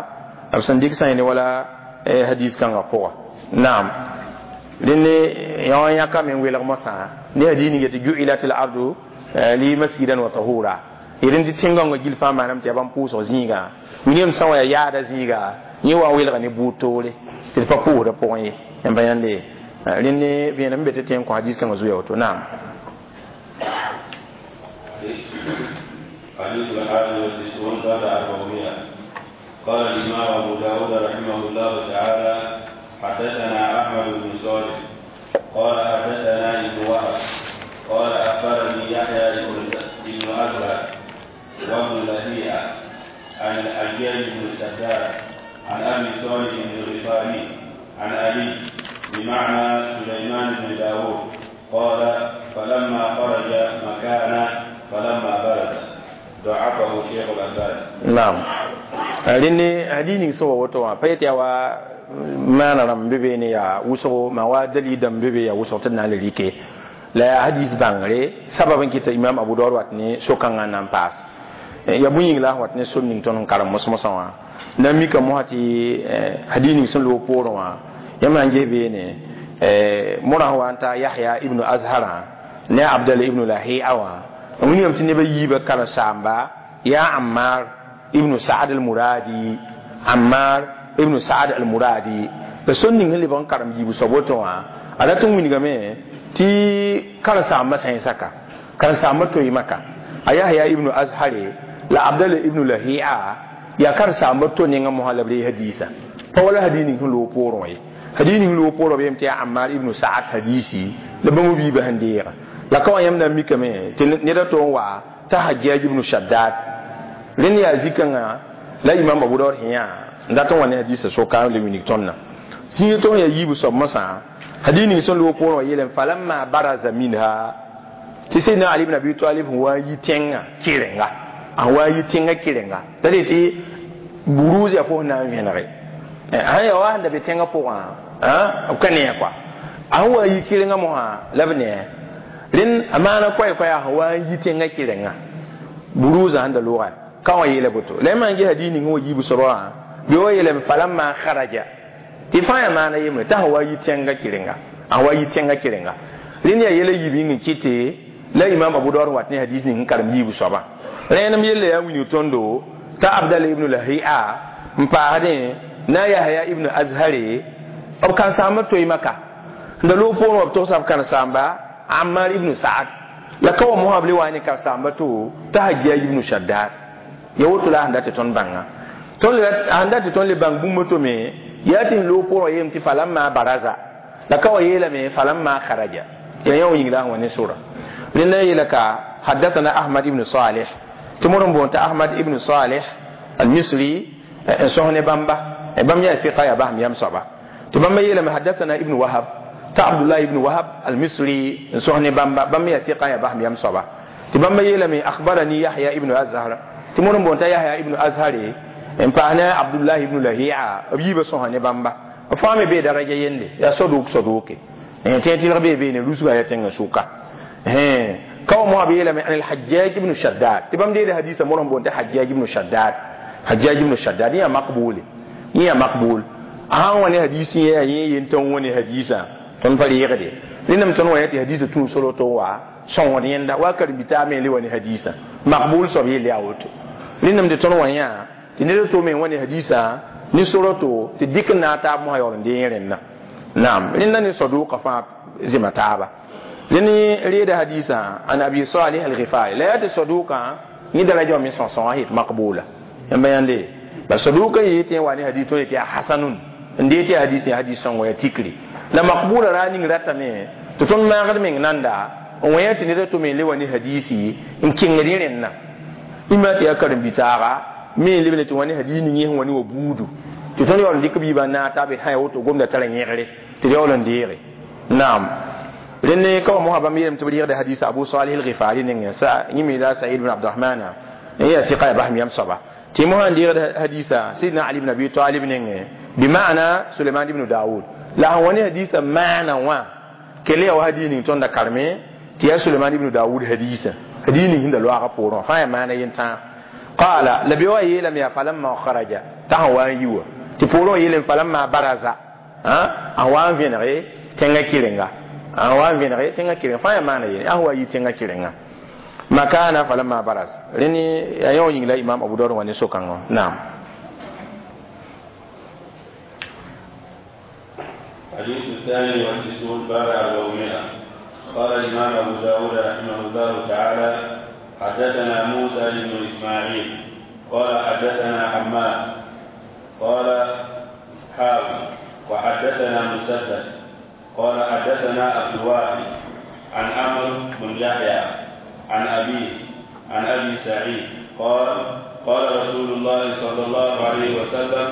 b sẽn dɩk sã yẽ ne wala hadis kãngã pʋga naam rẽnd yã wã yãkame n welg mosã ne hadis ning tɩ ju'ilat l ardu li masjidan wa tahura rẽnd tɩ tẽn-gãongã gill fãa maanam tɩ yaa bãmb pʋʋsg zĩigã william sã wã yaa yaada zĩiga yẽ wa n welga ne buud toore tɩ d pa pʋʋsdã pʋgẽ ye yãmba yãnde rẽnd ne vẽenem n be tɩ tẽ n kõ hadis kãngã zuya woto naam. حديث الحادي والتسعون بعد 400. قال الإمام أبو داود رحمه الله تعالى حدثنا أحمد بن صالح قال حدثنا ابن وهب قال أخبرني يحيى بن أزهر وابن لهيعة عن الحجاج بن السداد عن أبي صالح الغفاري عن علي بمعنى سليمان بن داود قال فلما خرج مكانه فلما برز ضعفه شيخ الألباني. نعم. rẽnd hadis ning sẽn wa woto wã pa yet yaa wa maana rãmb be beene yaa wʋsgo maa wa dalil dãmb be be yaa wʋsg tɩ d na n le rɩke la yaa hadis bãngre sabab n kɩta imam abu daud wat ne so-kãngã n na n paas yaa bũe yĩng la a wat ne sor ning tõnd n karem mos-mosã wã na n mika mosã tɩ hadis ning sẽn loog poorẽ wã yãmb na n ges beene morã sẽn wa n ta yahya ibnu azharã ne a abdalla ibnu lahia wã n wilgame tɩ neb a yiibã karen-saamba yaa ammar ibnu saad al-muradi ammar ibnu saad al-muradi la sor ning sẽn lebg n karem yiib soab woto wã a rat n wilgame tɩ karen-saambã sã n saka karen-saambã toɩ maka a yahya ibnu azhare la abdalla ibnu lahia yaa karen-saambã to nengã mosã la b ree hadiisã pa wala hadiis ning sẽn loog poorẽ wã ye hadis ning loog poorẽ b yem tɩ yaa ammar ibnu saad hadiisi la bãmb biibã sẽn deega la ka wã yãmb na n mikame tɩ ned a to n wa t'a hajjaj ibnu shaddad rẽnd yaa zikãngã la imam abu daud sẽn yaa n dat n wa ne hadiisã soka n le wilg tõndã zĩig tɩ yaa yiib soab mosã hadis ning sẽn loog poorẽ wã yeelame falamma baraza minha tɩ sayyidina ali ibn abi talib sẽn wa n yi tẽngã kɩrenga a wa n yi tẽngã kɩrenga la de tɩ buruuz yaa fo sẽn na n vẽnege sãn yaa wa sẽn da be tẽngã pʋgã b ka ne kɔa a sẽn wa n yi kɩrenga mosã la b ne rẽnd a maana koɛ-koɛa sẽn wa n yi tẽngã kɩrenga buruuzã sẽn da looga ka wã yeela boto la yãmb n ges hadis ning sẽn wa yiib soaba wã bɩ wa yeelame falamma kharaja tɩ fãa yaa maana yembre t'a sẽn wa yi tẽngã kɩrenga a wa yi tẽngã kɩrenga rẽnd yaa yɛla yiib yĩng n kɩte la imam abu daud wat ne hadis ning sẽn karem yiib soaba rẽenem yella yaa wilg tõndo t'a abdalla ibnu lahia n paasdẽ na yahya ibnu azhare b karen-saambã toɩ maka n da loog poorẽ wã b togsa b karen-saamba ammar ibnu saad la ka wa mosã b le wa ne karen-saambã to t'a hajjaj ibnu shaddad ya woto la sẽn dat tɩ tõnd bãnga tõnd sẽn dat tɩ tõnd le bãng bũmb to me yaa tɩ sẽn loog poorẽ wã yeelame tɩ falamma baraza la ka wa yeelame falamma kharaja ya yã wa yĩng la sẽn wa ne sora rẽnda yeela ka haddathana ahmad ibnu salih tɩ mod n boond t'a ahmad ibnu salih al-misri n sõs ne bãmba bãmb yaa fiqa yaa basem yam soaba tɩ bãmba yeelame haddathana ibnu wahab t'a abdullah ibnu wahab al-misri n sõs ne bãmba bãmb yaa fiqa yaa basem yam soaba tɩ bãmba yeelame akhbarani yahya ibnu azhar tɩ mod n boond t'a yahya ibnu azhare En paas ne Abdullah ibn Lahia b yiibã sõsa ne bãmba b fãa me bee daraja yende yaa sodʋk sodʋke tẽ tɩlg bee beene rusgã yaa tẽngã sʋka kawa moa b yeelame an alhajjaj ibnu shaddad tɩ bãmb deeda hadisa mor sẽn boond tɩ Hajjaj ibnu Shaddad Hajjaj ibnu Shaddad yẽ yaa makbuule yẽ yaa makbul a sãn wa ne hadis yẽ yaa yẽ yen tõnd wa ne hadisã tõnd pa reegde rẽndame tõnd wa yã tɩ hadisã tũu soroto wa sõngd yẽnda wa karen-bi-taab me le wa ne hadisã makbul soab yell yaa woto rẽndame tɩ tõnd wa yã tɩ ned to me wa ne hadisã ne soroto tɩ dɩk n naag taab mosã yaool n dee rẽnna naam rẽnda ne sodʋʋka fãa zẽma taaba rẽnd reeda hadisã an Abi Salih al-Ghifari la yaa tɩ sodʋʋkã yẽ daraja wã me sõsõngã yet makbula yãmba yãnde la sodʋʋka yee tɩ yẽ wa ne hadis tõnd yetɩ yaa hasanun n dee tɩ yaa hadis yaa hadis sõngo yaa tikri la makbula ra ning ratame tɩ tõnd maagd meng nanda n wã yã tɩ ned a to me le wa ne hadisi n kẽngd yẽ rẽnna ima tɩ yaa karen-bi-taaga me n lebne tɩ wã ne hadis ning yẽ sẽn wa ne wa buudu tɩ tõnd yaool n dɩk b yiibã n naag taab sã ya woto gomda tara yẽgre tɩ d yaool n deege naam rẽnd ka wa mosã bãmb yeelame tɩ b reegda hadisa Abu Salih al-Ghifari nengẽ yẽ me la Said ibn Abdurahmana n yaa tɩka yaa basem yam soaba tɩ mosã n deegd hadisa Sidna Ali ibn Abi Talib nengẽ bima'ana Suleiman ibn Daoud la sẽn wa ne hadisa maana wã kell yaa wa hadis ning tõnda karme tɩ yaa Suleiman ibn Daoud hadisa hadis ning sẽn da loaagã poorẽ wã fãa yaa maana yentãag qala la be wa yeelame yaa falamma kharaja t'a sẽn wa n yi wa tɩ poorẽ wã yeelame falamma baraza a wa n vẽnege tẽngã kɩrenga a wa n vẽnege tẽngã kɩrenga fãa yaa maana yene a sẽn wa yi tẽngã kɩrenga makana falamma baraz rẽnd yaa yõ yĩng la Imam Abu Dawud wã ne so-kãngã naam. حديث الثاني والتسعون بعد 400. قال الإمام أبو داود رحمه الله تعالى حدثنا موسى بن إسماعيل قال حدثنا حماد قال حاوي وحدثنا مسدد قال حدثنا عبد الواحد عن عمرو بن يحيى عن أبيه عن أبي سعيد قال قال رسول الله صلى الله عليه وسلم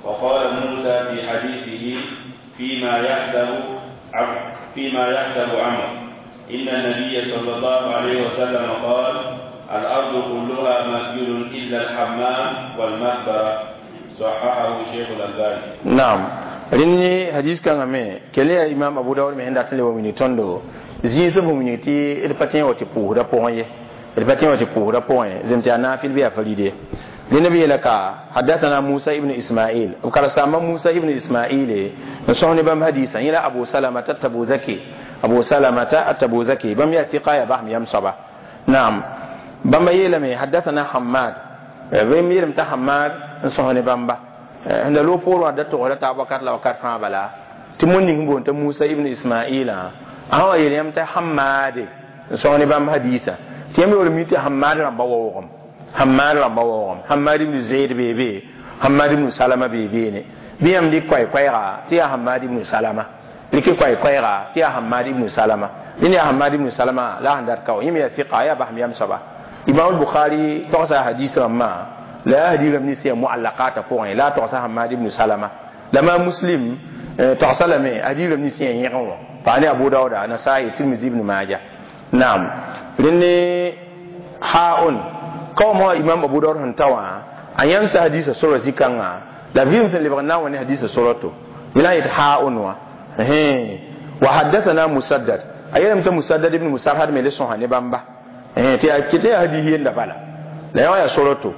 وقال موسى في حديثه فيما يحسب عمرو إن النبي صلى الله عليه وسلم قال الأرض كلها مسجد إلا الحمام والمقبرة. صححه شيخ الألباني. نعم رني حديث كان أمي كلي إمام أبو داود من عند تلي ومن تندو زين سبهم من يتي الفتين وتبوه دا بوه الفتين وتبوه دا بوه زمتي أنا في البيع فريدة لنبي لك حدثنا موسى ابن إسماعيل وقال سامع موسى ابن إسماعيل نصحني بام حديثا إلى أبو سلمة التبوذكي أبو سلمة التبوذكي بام يأتي قاية بهم يمصبة نعم بام يلمي حدثنا حماد بام يلم تحماد نصحني بام با عند لو بور ودت غلط أبو كات لو كات فما بلا تمني بون موسى ابن إسماعيل أهو يلم تحماد نصحني بام حديثا تيمي ولميتي حماد ربا ووغم حماد ربا ووغم حماد بن زيد بيبي حماد بن سلمة بيبي ني بيام دي كوي كويغا تي حماد بن سلمة لكي كوي كويغا تي حماد بن سلمة لين حماد بن سلمة لا عندك كاو يمي ثقة يا بهم يم سبا إمام البخاري تقصى حديث ما لا حديث من سي معلقات فوق لا تقصى حماد بن سلمة لما مسلم تقصى لما حديث من سي يغو فاني أبو داود نسائي ترمذي ابن ماجه نعم لين حاون كوم إمام أبو داود هنتوا أن ينسى حديث سورة زكاة لا فيهم سن لبغنا وني حديث سورته ولاية حاون وحدثنا مسدد أيام مسدد ابن مسرهد من لسه هنبامبا تي كتي حديث يندبلا لا يا سورته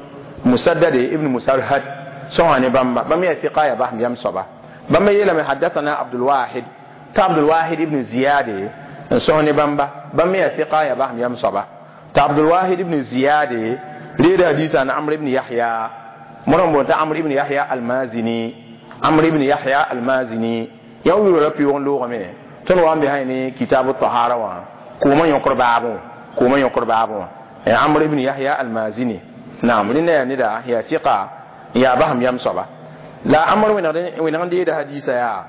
مسدد ابن مسرهد سهني بامبا بام ثقة بهم يم صبا بام يلم حدثنا عبد الواحد عبد الواحد ابن زياد سهني بامبا بام ثقة بهم يم صبا عبد الواحد ابن زياد ريد حديث عن عمرو بن يحيى مرم بن عمرو بن يحيى المازني عمرو بن يحيى المازني يوم ربي يون لوغ مي تن وان بهاي كتاب الطهارة وان كوما ينقر بابو كوما ينقر بابو عمرو بن يحيى المازني نعم لنا ندا هي ثقة يا بهم يم صبا لا عمرو وين عندي ده حديث يا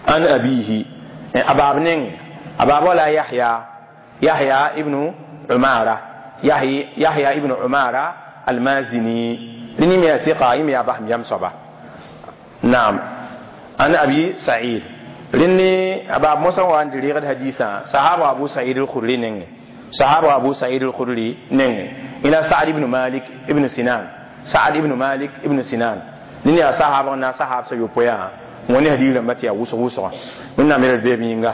عن أبيه أبابنين أباب ولا يحيى يحيى ابن عمارة يحيى ابن عمارة المازني لني يا ثقة يا بهم يم صبا نعم أنا أبي سعيد لني أبا موسى وان دريغ حديثا صحابة أبو سعيد الخدري نين صحابة أبو سعيد الخدري نين إلى سعد بن مالك ابن سنان Sa'ad ibn Malik ibn Sinan nini ya sahaba na sahab sa yopoya woni hadith rãmba tɩ yaa wʋsg wʋsga wẽnnaam yel beem yĩnga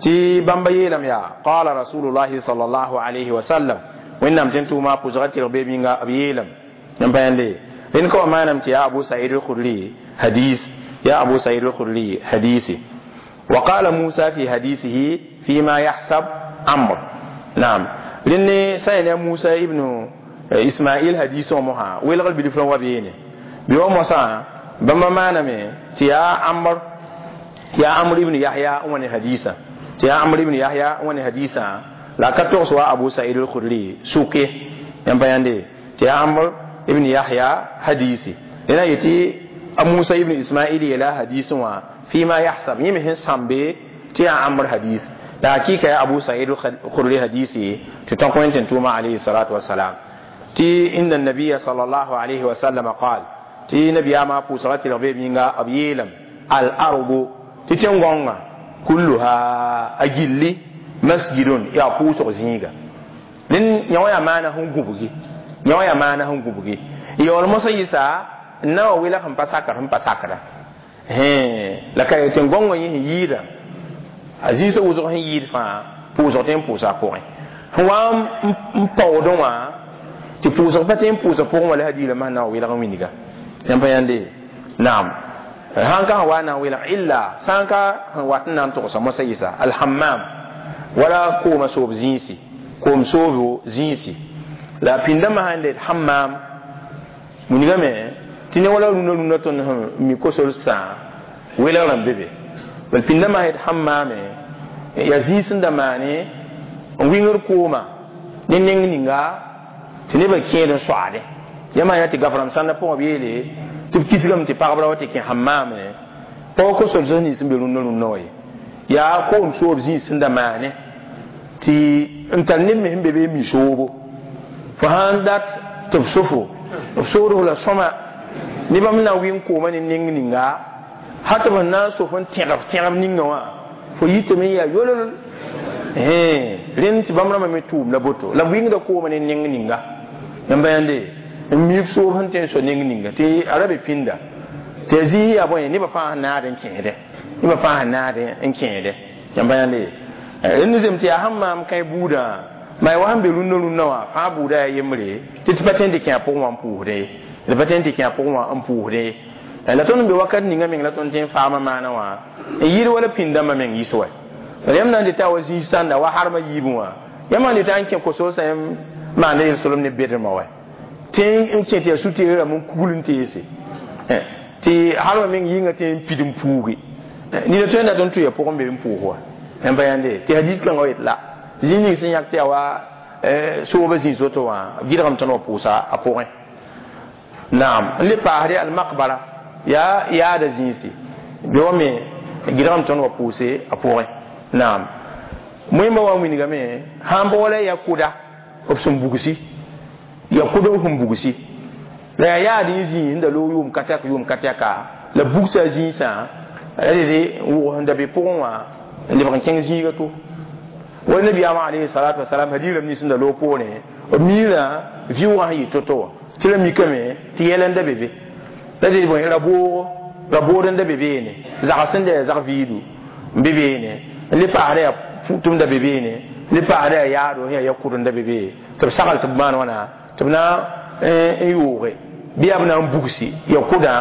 tɩ bãmba yeelame yaa qala rasulullahi sallallahu alayhi wa sallam wẽnnaam tɩ n tʋʋma pʋsga tɩrg beem yĩnga b yeelame n pa yãnde rẽnd ka wa maaname tɩ yaa Abu Sa'id al-Khudri hadis ya Abu Sa'id al-Khudri hadisi wa qala Musa fi hadisihi fima yahsab Amr naam rẽnd sã n yaa Musa ibn Ismail hadisõ mosã welgr bilf wa beene bɩ wa mosã bãmba maaname tɩ yaa Amr ya Amr ibn Yahya n wa ne hadisa tɩ yaa Amr ibn Yahya n wa ne hadisa la ka togs wa Abu Sa'id al-Khudri sʋke yãmb pa yãnde tɩ yaa Amr ibn Yahya hadisi rẽna yetɩ Musa ibn Ismail yeela hadisẽ wã fima yahsab yẽ me sẽn sãmbe tɩ yaa Amr hadis la hakika ya Abu Sa'id al-Khudri hadisi tɩ tõk wẽn tɩ n tʋʋma alayhi salatu wasalam tɩ inna nabiya sallallahu alayhi wa sallam qaal tɩ nabiyaamã pʋʋsga tɩrg beem yĩnga b yeelame al-ardu tɩ tẽn-gõngã kulluha a gilli masjidun yaa pʋʋsg zĩiga rẽnd yã wã yaa maana sẽn gũbgi yã wã yaa maana sẽn gũbgi yaool mosã yɩsa n na wa welg sẽn pa sakr sẽn pa sakra la ka tẽn-gõngã yẽ sẽn yɩɩda a zĩisã wʋsg sẽn yɩɩd fãa pʋʋsg tɩ n pʋʋsa a pʋgẽ sẽn wa n paoodẽ wã tɩ pʋʋsg pa tɩ n pʋʋsa pʋgẽ wã la hadiirã masã na wa welg n wilga yãmb pa yãnde naam sãn ka sẽn wa na n welg illa sã n ka sẽn wat n na n togsa mosã yɩsa alhammam wala kooma soob zĩisi koom soobo zĩisi la pĩndãmbã sãn let hammam wilgame tɩ ne wala rũnã rũnã tõnd sẽn mi kosol sã welgrã be be bal pĩndãmbã sã yet hammaame yaa zĩis n da maane n wingr kooma ne neng ninga tɩ nebã kẽed n soaade yãmb yaa tɩ gaf-rãmb sãndã pʋgã b yeele tɩ b kisgame tɩ pagbra wa tɩ kẽ hammaame pɔg kosol sẽn nins n be rũnnã rũnnã wa ye yaa koom soob zĩis sẽn da maane tɩ n tar neb me sẽn be be n mi soobo fo sãn dat tɩ b sofo b soodf la sõma ne bãmb na n wɩng koomã ne neng ninga hal tɩ b sẽn na n sof n tẽgb ninga wã fo yitame n yaa yolol rẽnd tɩ bãmb rãmbã me tʋʋm la boto la b wɩngda koomã ne neng ninga yãmba yãnde n miib soob sẽn tõe n so neng ninga tɩ a ra be pĩnda tɩ a zĩis yaa bõe nebã fãa sẽn naad n kẽede nebã fãa sẽn naad n kẽede yãmba yãnde rẽnd zem tɩ yaa sẽn maam kãe buudã ma wa sẽn be rũnnã rũnnã wã fãa buudã yaa yembre tɩ tɩ pa tõe n tɩ kẽ a pʋgẽ wã n pʋʋsdẽ ye d pa tõe n tɩ kẽ a pʋgẽ wã n pʋʋsdẽ ye la tõnd n be wakat ninga meng la tõnd tõe n faama maana wã n yɩɩd wala pĩndãmbã meng yɩs wa yãmb na n dɩta wa zĩis sãnda wa harmã yiibẽ wã yãmb sãn dɩta n kẽ kosoosã yãmb maanda yel-solem ne bedrmã wa tɩ n kẽ tɩ yaa su-teerã rãmb n kugl n teese tɩ harmã meng yɩnga tɩ n pid n puuge nina tõe n dat n tʋ ya pʋgẽ be n pʋʋs wa yãmb pa yãnde tɩ hadis kãngã wa yet la zĩig ning sẽn yãk tɩ yaa wa soobã zĩis woto wã b gɩdgame tõnd wa pʋʋsa a pʋgẽ naam n le paasde almaqbara yaa yaada zĩisi bɩ wa me gɩdgame tõnd wa pʋʋse a pʋgẽ naam moẽmbã wa n wilgame sãn pa wala ya kʋda b sẽn bugsi ya kʋd b sẽn bugsi la yaa yaad n zĩis n da loog yʋʋm ka tɛk yʋʋm ka tɛka la bugsa zĩisã rede wʋgs n da be pʋgẽ wã n lebg n kẽng zĩiga to wala nabiyaamã alayhi salatu wasalam hadiirame nins n da loog poorẽ b miirã vɩʋʋgã sẽn yɩ to-to wã tɩ ra mikame tɩ yɛl n da be be la ded bõe ra-boogo ra-bood n da be beene zags sẽn da yaa zag viidu n be beene n le paasda yaa tʋm da be beene n le paasda yaa yaado sẽn yaa ya-kʋd n da be be tɩ b sagl tɩ b maan wãna tɩ b na n yooge bɩ yaa b na n bugsi ya kʋdã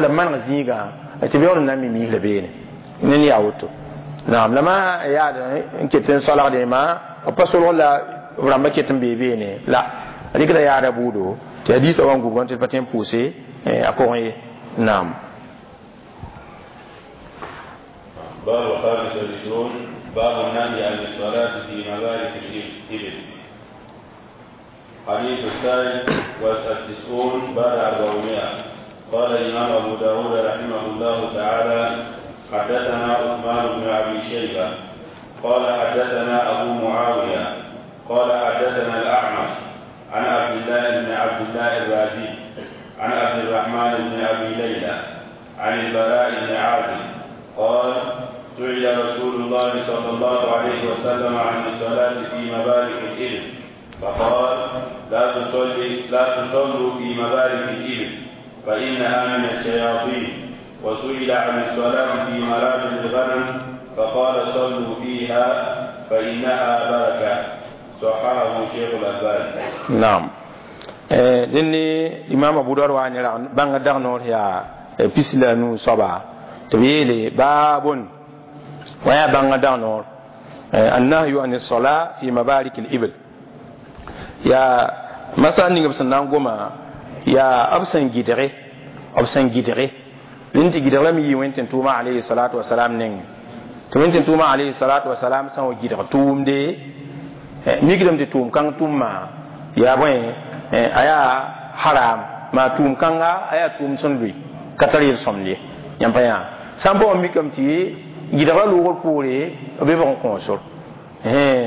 la b maneg zĩigã tɩ b yaool n na n mi miis la beene ne yaa woto naam la ma yaad n ket n soalgdẽ ma b pa solg la b rãmbã ket n bee beene la a rɩkda yaada buudo tɩ hadiisã wa n gubgã tɩ d pa tõe n pʋʋse a pʋgẽ ye naam باب الخامس والعشرون باب النهي عن الصلاة في مبارك الإبل. حديث الثالث والتسعون بعد 400. قال الإمام أبو داود رحمه الله تعالى: حدثنا عثمان بن أبي شيبة قال حدثنا أبو معاوية قال حدثنا الأعمش عن عبد الله بن عبد الله الرازي عن عبد الرحمن بن أبي ليلى عن البراء بن عازب قال: سئل رسول الله صلى الله عليه وسلم عن الصلاة في مبارك الإبل فقال لا تصلوا في مبارك الإبل فإنها من الشياطين. وسئل عن الصلاة في مرابض الغنم فقال صلوا فيها فإنها بركة. صححه شيخ الألباني. نعم. Dẽnne imam Abu Dawud wa ne ra bãnga dag noor yaa pis la nu soaba tɩ b yeele baabun wa yaa bãnga dag noor annahyu an sola fi mabarik al-ibl yaa masal ning b sẽn na n goma yaa b sẽn gɩdge rẽnd tɩ gɩdg lame yɩ wẽn tɩ tʋʋma alayhi salatu wasalam neng tɩ wẽn tɩ tʋʋma alayhi salatu wasalam sã n wa gɩdg tʋʋmde mikdame tɩ tʋʋm kãng tʋmma yaa bõe a yaa haram maa tʋʋm kãnga a yaa tʋʋm sẽn lʋɩ ka tar yel-sõmd ye yãmb pa yã sã n pa wa mikame tɩ gɩdgra loogr poore b be bg n kõosor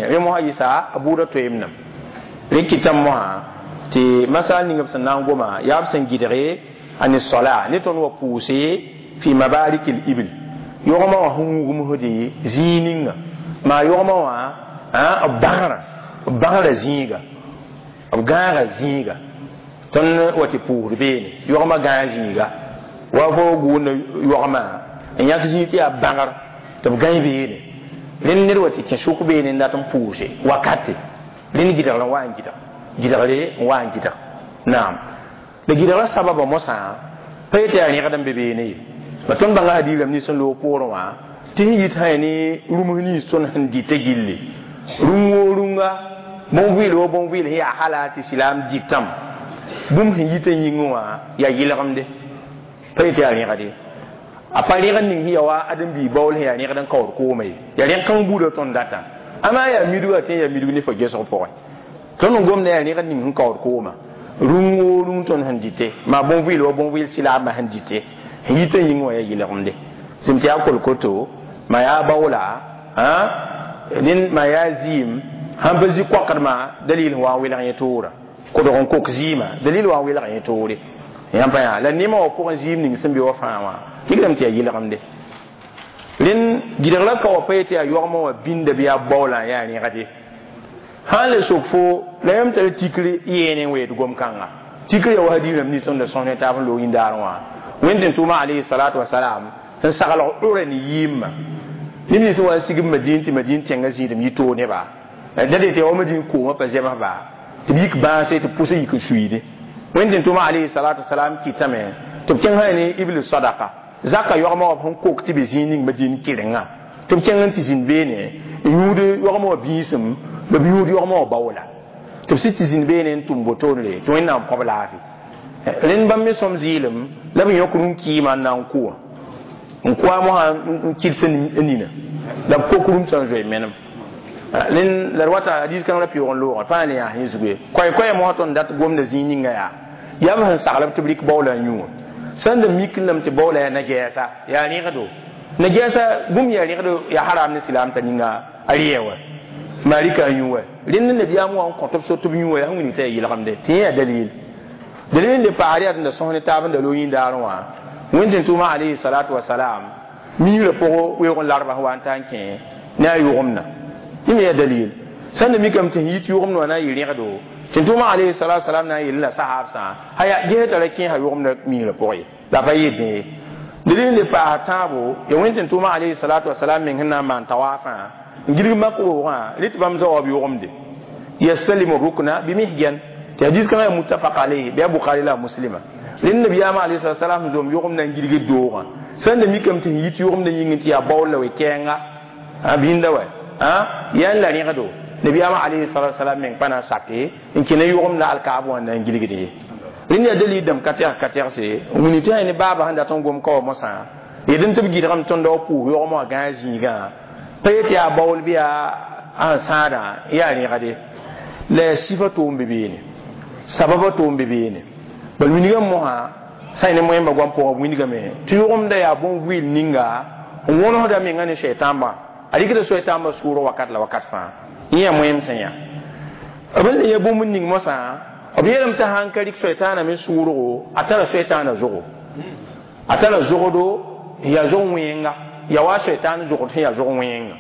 rẽ mosã yɩsa a buudã toeem-nam rẽ kɩtame mosã tɩ masal ning b sẽn na n goma yaa b sẽn gɩdge a ne sola ne tõnd wa pʋʋse fi mabarik l ibil yogmã wã sẽn wugmsde zĩig ninga maa yogmã wã b bãgra zĩiga b gãaga zĩiga tõnd wa tɩ pʋʋsd beene yogmã gãag zĩiga wa fo gʋʋnda yogmã n yãk zĩig tɩ yaa bãgr tɩ b gãe beene rẽnd ned wa tɩ kẽ sʋk beene n dat n pʋʋse wakate rẽnd gɩdgr n wa n gɩdg gɩdgre n wa n gɩdg naam la gɩdgrã sababa mosã pa yetɩ yaa rẽgd n be beene ye la tõnd bãnga hadiirame nins n loog poorẽ wã tɩ sẽn yit sã ne rũms nins tõnd sẽn dɩta gilli rũm woo rũnga bõn-vɩɩl woo bõn-vɩɩl sẽn yaa hala tɩ silaam dɩtame bũmb sẽn yitã yĩngẽ wã yaa yɩlgemde pa yetɩ yaa rẽgd ye a pa rẽgd ning sẽn ya wa ãdem-biig baool sẽn yaa rẽgd n kaood kooma ye yaa rẽg kãng buudã tõnd datã amaa yaa midga tɩ yaa midg ne fo gesg pʋgẽ tõnd n gomda yaa rẽgd ning sẽn kaood kooma rũng woo rũng tõnd sẽn dɩte maa bõn-vɩɩl wa bõn-vɩɩl silaamã sẽn dɩte sẽn yitã yĩngẽ wã yaa yɩlgemde sẽm tɩ yaa kolkoto maa yaa baoola rẽnd maa yaa zɩɩm sãn pa zĩ koakdmã dalil sẽn wa n welg yẽ toora kodg n kok zɩɩmã dalil wa n welg yẽ toore yãmb pa yã la nemã wã pʋgẽ zɩɩm ning sẽn be wa fãa wã kɩgdame tɩ yaa yɩlgemde rẽnd gɩdgrã ka wa pa yetɩ yaa yogmã wã bĩnda bɩ yaa baoolã yaa rẽgde sãn le sok fo la yãmb tara tikr yeene n weed gom-kãnga tikr ya wa hadiirame nins tõnd da sõs ne taab n loog yĩndaarẽ wã wẽnd tɩ tʋʋma alayhi salatu wasalam sẽn saglg ʋra ne yɩɩmã neb nins wa n sigb madin tɩ madin tẽngã zĩidem yɩ toog neba da dee tɩ ya wa madin koomã pa zems ba tɩ b yik bãase tɩ pʋsã yik n suiide wẽnd tɩ tʋʋma alayhi salatu wasalam kɩtame tɩ b kẽng sã ne ibl sadaka zaka yogmã wã sẽn kok tɩ be zĩig ning madin kɩrenga tɩ b kẽng n tɩ zĩnd beene n yũud yogmã wã biisem b yũud yogmã wã baoola tɩ b sɩd tɩ zĩnd beene n tʋm botoonre tɩ wẽnnaam kõb laafɩ rẽnd bãmb me sõm zɩɩlem la b yõk rũm-kɩɩmã n na n kʋ wã n kʋa mosã n kɩds n nina la b kok rũm sã n zoe menem rẽnd la d wata hadiis kãng ra pɩʋg n loogã fãa le yaa sẽn zugu ye koɛ-koɛɛ mosã tõnd dat gomda zĩig ninga yaa yaa b sẽn saglb tɩ b rɩk baoola n yũ wã sẽn da mik lame tɩ baoola yaa na-gɛɛsa yaa rẽgdo na-gɛɛsa bũmb yaa rẽgdo yaa haram ne silaam t'a ninga a rɩɛ wã maa rɩka n yũ wa rẽnd nabiyaam wã n kõ tɩ b so tɩ b yũ wa yaa sẽn wilg t'a yaa yɩlgemde tɩ yẽ yaa dalil dalil n le paasd yaa tɩ da sõs ne taab n da loog yĩndaarẽ wã wẽnd tɩ tʋʋma alayhi salatu wasalam miigrã pʋgẽ weoog n larba sẽn wa n ta n kẽ ne a yʋgemdã yẽ me yaa dalil sẽn da mikame tɩ sẽn yit yʋgemd wã na n yɩ rẽgdo tɩ tʋʋma alayhi salatu wasalam na n yeel la sahaabsã aya ges tara kẽesa yʋgemdã miigrã pʋgẽ ye la pa yɩ dẽ ye dalil n le paas tãabo ya wẽnd tɩ tʋʋma alayhi salatu wasalam meng sẽn na n maan tawaafã n gilg mak roogã rɩ tɩ bãmb zaoab yʋgemde yastalimu rukna bimihjan tɩ hadis kãngã yaa muttafaq alayhi bɩ a bukhari la a muslima rẽnd nabiyaamã alayhi salatu wasalam zom yʋgemdã n gilgd doogã sẽn da mikame tɩ sẽn yit yʋgemdã yĩngẽ tɩ yaa baool la we-kɛɛnga bĩnda wa yaa n la rẽgdo nabiyaamã alayhi salatu wasalam meng pa na n sake n kẽna yʋgemdã alkaab wã na n gilgd ye rẽnd yaa dalil dãmb ka tɛgs ka tɛgse n wilg tɩ ne baaba sẽn dat n gom ka wa mosã yedn tɩ b gɩdgame tõnd wa pʋʋs yogmã wã gãag zĩigã pa yetɩ yaa baool bɩ yaa n sãadã yaa rẽgde la yaa sɩfa toom be beene sababa toom be beene bal wilgame mosã sã y ne moẽmba goam pʋgã b wilgame tɩ yʋgemda yaa bõn-vɩɩl ninga n wõnesda menga ne soɛtãmbã a rɩkda soɛtãmbã sʋʋrg wakat la wakat fãa yẽ yaa moẽm sẽn yaa b n le ya bũmb ning mosã b yeelame tɩ sãn ka rɩk soɛtãana me sʋʋrgo a tara soɛtãana zogo a tara zogdo n yaa zog wẽenga yaa wa soɛtãan zogd sẽn yaa zog wẽenga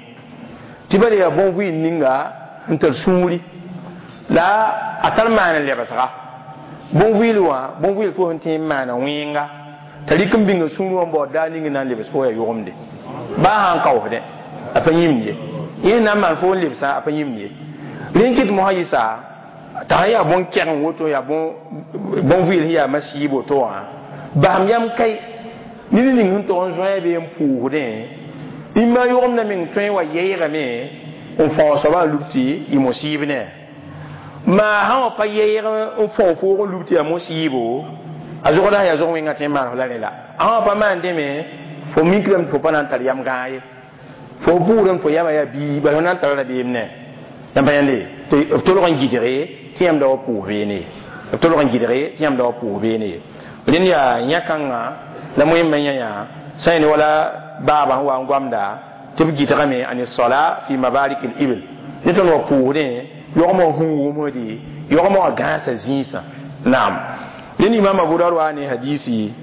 tɩ bala yaa bõn-vɩɩl ninga n tar sũuri La a tar maan n lebsga bõn-vɩɩl wã bõn-vɩɩl fo sẽn tẽ n maana wẽnga t'a rɩk n bĩnga sũur wã n baood daar ning n na n lebs fo yaa yʋgemde baa sã n kaoosdẽ a pa yĩmd ye yẽ na n maan fo n lebsã a pa yĩmd ye rẽn kɩt mosã yɩsa t'a sã yaa bõn-kɛgeng woto yaa bõn-vɩɩl sẽn yaa masiib woto wã basem yam kai ned ning sẽn tog n zoe bee n pʋʋsdẽ rĩmbã yʋgemdã meng tõe n wa yɛɛgame n fao soabã n lub tɩ yɩ mosiib ne maa sã wã pa yɛɛg n fao foog n lub tɩ yaa mosiibo a zogda yaa zog wẽnga tẽ n maan la rẽ la a sã wã pa maan dẽme fo mikrame tɩ fo pa na n tar yam gãag ye fo pʋʋrame fo yama yaa bii bala fo na n tara rabeem ne yãmb pa yãnde tɩ b tolg n gɩdge tɩ yãmb da wa pʋʋs beene ye b tolg n gɩdge tɩ yãmb da wa pʋʋs beene ye rẽnd yaa yã-kãngã la moẽmba yã yã sã ne wala baaba sẽn wa n goamda tɩ b gɩdgame ani sola fi mabarik l ibil ne tõnd wa pʋʋsdẽ yogmã hũugmde yogmã wã gãasa zĩisã naam rẽnd imam abu daud wa ne hadisi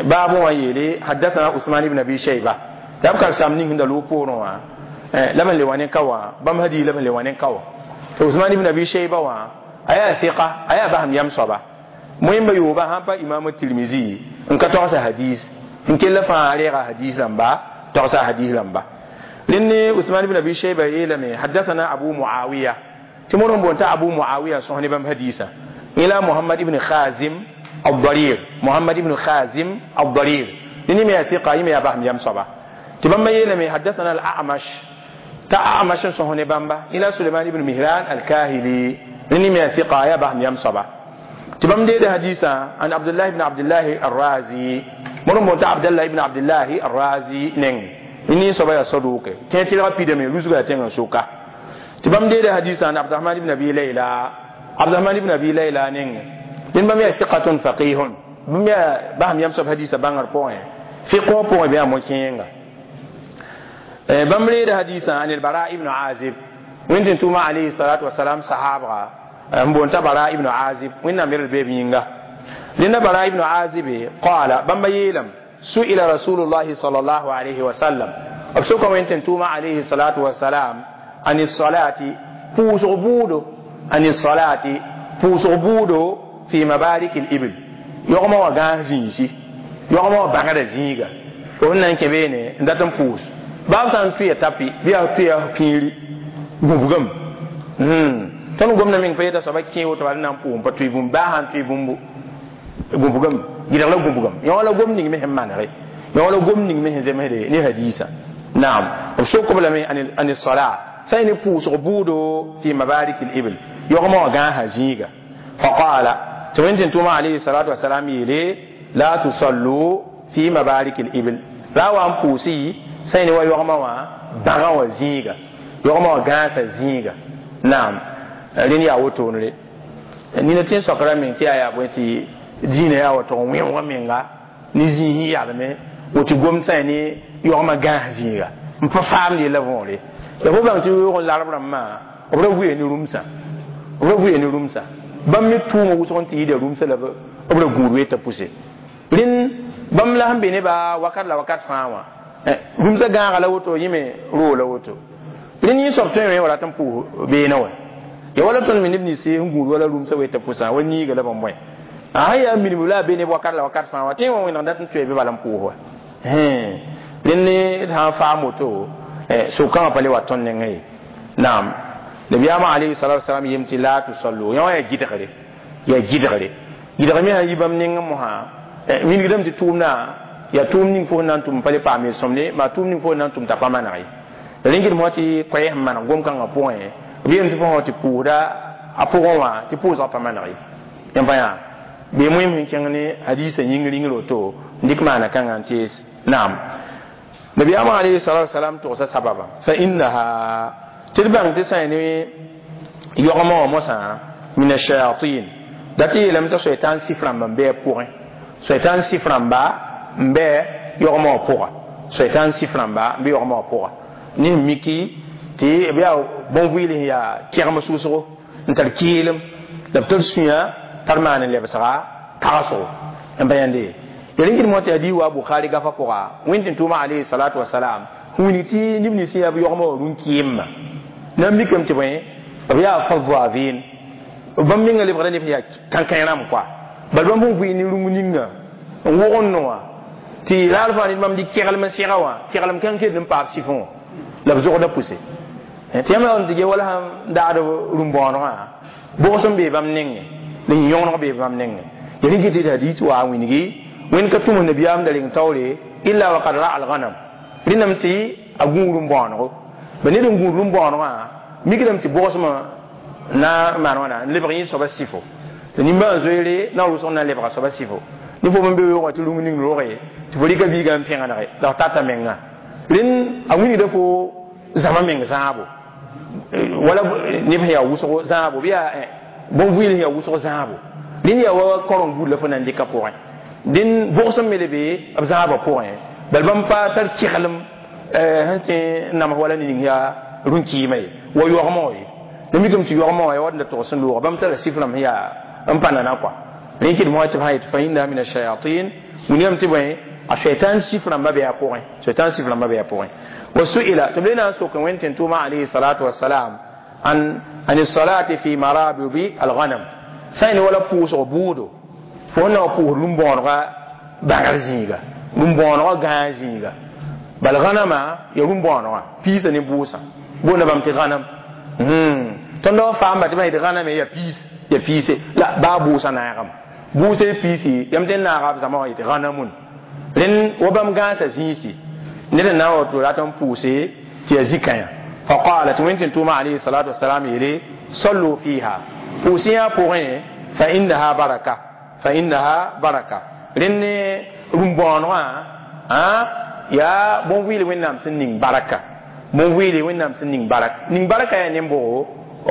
baabẽ wã yeele hadathana usman ibn abi shayba la b karsam ning sẽn da loog poorẽ wã la b le wa ne ka wã bãmb hadis la b le wa ne ka wã tɩ usman ibn abi shayba wã a yaa fiqa a yaa basem yam soaba moẽmba yooba sãn pa imam tirmizi n ka togsa hadis n kell fãa reega hadis rãmba togsa hadis rãmba rẽnd ne usman ibn abi shayba yeelame hadathana abu muawiya tɩ mod n boon t'a abu muawiya sõs ne bãmb hadisã ila muhammad ibn khazim الضرير محمد ibn khazim الضرير rẽnd me yaa fiqa yẽ me yaa basem yam soaba tɩ bãmba yeelame hadathana al-a'mash ta a'mash n sõs ne bãmba ila suleiman ibn mihran al-kahili rẽnd me yaa fiqa yaa basem yam soaba tɩ bãmb deeda hadisã an abdullah ibn abdullah arrazi mod n boon t'a abdallah ibn abdullah arrazi neng ni soaba yaa saduke tẽ tɩlga pidame rusga yaa tẽngã soka tɩ bãmb deeda hadisã an abdurahman ibn abi layla abdurahman ibn abi layla neng rẽnd bãmb yaa fiqatun faqihun bãmb yaa basem yam soab hadisã bãngr pʋgẽ fiq wã pʋgẽ bɩ yaa mo-kẽenga bãmb reeda hadisã an albara ibn azib wẽnd tʋʋma alayhi salatu wasalam sahabga n boon t'a bara ibn azib wẽnnaam yɛl beeb yĩnga rẽnda bara ibn azib qala bãmba yeelame su'ila rasulullahi sallallahu alayhi wa sallam b soka wẽnd tɩ tʋʋma alayhi salatu wasalam an salati pʋʋsg buudo an salati pʋʋsg buudo fi mabarik l-ibil yogmã wã gãas zĩisi yogmã wã bãgda zĩiga fo sẽn na n kẽ beene n dat n pʋʋs baab sã n tʋya tapi bɩ yaa tʋya pĩiri gũbgame tõnd gomda meng pa yeta soaba kẽ woto bala na n pʋʋs n pa tʋɩ bũmb baa sã n tʋɩ bũmbu gũbgame gɩdg la gũbgame yõ la gom ning me sẽn manege yõ la gom ning me sẽn zemsde ne hadisã naam b sok b lame an sala sã ne pʋʋsg buudo fi mabarik l-ibil yogmã wã gãasa zĩiga faqala tɩ wẽnd tɩ tʋʋma alayhi salatu wasalam yeele la tusallu fi mabarik l-ibil ra wa n pʋʋsɩ sã ne wa yogmã wã bãgã wã zĩiga yogmã wã gãasa zĩiga naam rẽnd yaa wotone nina tẽ soakra meng tɩ yaa yaa bõe tɩ dĩinã yaa wa tog n wẽoogã menga ne zĩis n yalme woto gom sã ne yogmã gãas zĩiga n pa faamd yella võore la fo bãng tɩ yoog n larb rãmbã b ra vʋɩ ne rũmsã b ra vʋɩ ne rũmsã bãmb me tʋʋmã wʋsg n tɩ yɩɩda rũmsã la b ra gũud weeta pʋse rẽnd bãmb la sẽn be nebã wakat la wakat fãa wã rũmsã gãaga la woto yẽ me roo la woto rẽnd yẽ soab tõe wã rat n pʋʋs beene wã ya wala tõnd me neb nins sẽn gũud wala rũmsã weeta pʋsã wa niiga la bãmb bõe a sã yaa minim la a be neb wakat la wakat fãa wã tẽ wã wẽneg dat n tʋɛ bɩ bala n pʋʋs wa rẽnd d sã n faam woto sokãngã pa le wa tõnd nengã ye naam nabiyaamã alayhi salatu wasalam yem tɩ la tusallu yã wã yaa gɩdgre yaa gɩdgre gɩdg me sã yi bãmb nengẽ mosã wilgdame tɩ tʋʋmdã yaa tʋʋm ning fo sẽn na n tʋm pa le paam yel-sõmde maa tʋʋm ning fo sẽn na n tʋm t'a pa maneg ye rẽn gɩd mosã tɩ koɛɛs n maneg gom-kãngã pʋgẽ b yeelame tɩ fo tɩ pʋʋsda a pʋgẽ wã tɩ pʋʋsgã pa maneg ye yãmb pa yaa bee moẽm sẽn kẽng ne hadisã yĩng ringr woto n dɩk maana kãngã n tees naam nabiyaamã alayhi salatu wasalam togsa sababa fa innaha tɩ d bãng tɩ sã ne yogmã wã mosã min ashayatin da tɩ yeelame t'a soitan sif rãmba n bɩ a pʋgẽ soitan sif rãmba n bɩ yogmã wã pʋga soitan sif rãmba n bɩ yogmã wã pʋga ne sẽn miki tɩ b yaa bõn-vɩɩl sẽn yaa kẽgem sʋʋsgo n tar kɩɩlem la b tar sũyã tar maan n lebsga tagsgo n pa yãnde ya rẽn kɩd mosã tɩ hadiis wa bukhari gafa pʋga wẽnd tɩ tʋʋma alayhi salatu wasalam wilg tɩ neb nins yaa b yogmã wã rũn-kɩɩmã na n mikame tɩ bõe b yaa fadavin Bãmb menga lebgda neb sẽn yaa kãnkãe rãmb koa bal bãmb sẽn vɩɩ ne rũng ninga n wog n noa tɩ raar fãa ned bãmb dɩ keglem n sɛga wã keglem kãng kell n paab sɩfẽ wã la b zogda pʋse tɩ yãmb n tɩ ge wala sãn daagd rũm-bõonegã bʋgs n bee bãmb nengẽ la yĩ-yõgeneg bee bãmb nengẽ ya rẽ kɩ tɩ hadis wa n wilgi wẽnd ka tʋms nabiyaam da reng taoore illa wa kad ra al-ghanam rẽndame tɩ a gũud rũm-bõonego ba ned n gũud rũm-bõonegã mikdame tɩ bʋgsmã na n maan wãna n lebg yẽ soaba sɩfo tɩ nimbãan zoeere na n rʋsg na n lebga soaba sɩfo ne fo n be weoogã tɩ rũng ning roge tɩ fo rɩka biigã n pẽgenege la f tata menga rẽnd a wilgda fo zãma meng zãabo wala neb sẽn yaa wʋsgo zãabo bɩ yaa bõn-vɩɩl sẽn yaa wʋsg zãabo rẽnd yaa wa koreng buud la fo na n dɩka pʋgẽ dẽn bʋgsem me le be b zãabã pʋgẽ bal bãmb pa tar keglem sẽn tẽ n nams wala ne ning yaa rũn-kɩɩmã ye wa yaoogmã wã ye la mikame tɩ yaoogmã wã ya wat n da tog sẽn looga bãmb tara sɩf rãmb sẽn yaa n pa nana kɔa rẽ kɩdem wã tɩ b sã yetɩ fa innaha min ashayatin wilgame tɩ bõe a shaitan sɩf rãmbã bɩ a pʋgẽ shaitan sɩf rãmbã bɩ a pʋgẽ wa su'ila tɩ b le na n sok wẽnd tɩ tʋʋma alayhi salatu wasalam an salati fi marabidi alghanam sã n wala pʋʋsg buudo fo na wa pʋʋs rũm-bõonegã bãgr zĩiga rũm-bõonegã gãag zĩiga bal ghanama ya rũm-bõonegã piisã ne bʋʋsã boonda bãmb tɩ ghanam tõnd wa faamba tɩ bã yetɩ ghaname ya piis ya piise la baa bʋʋsã naagame bʋʋsã y piisi yãmb tɩ n naaga b zãma wã yetɩ ghanamун rẽnd wa bãmb gãasa zĩisi ned n na n wato rat n pʋʋse tɩ yaa zĩ-kãyã faqala tɩ wẽnd tɩ tʋʋma alayhi salatu wasalam yeele sallu fiha pʋʋs yã pʋgẽ fa innaha baraka fa innaha baraka rẽnd ne rũm-bõonegã yaa bõn-vɩɩl wẽnnaam sẽn ning baraka bõn-vɩɩle wẽnnaam sẽn ning baraka ning baraka yaa nem-bʋgo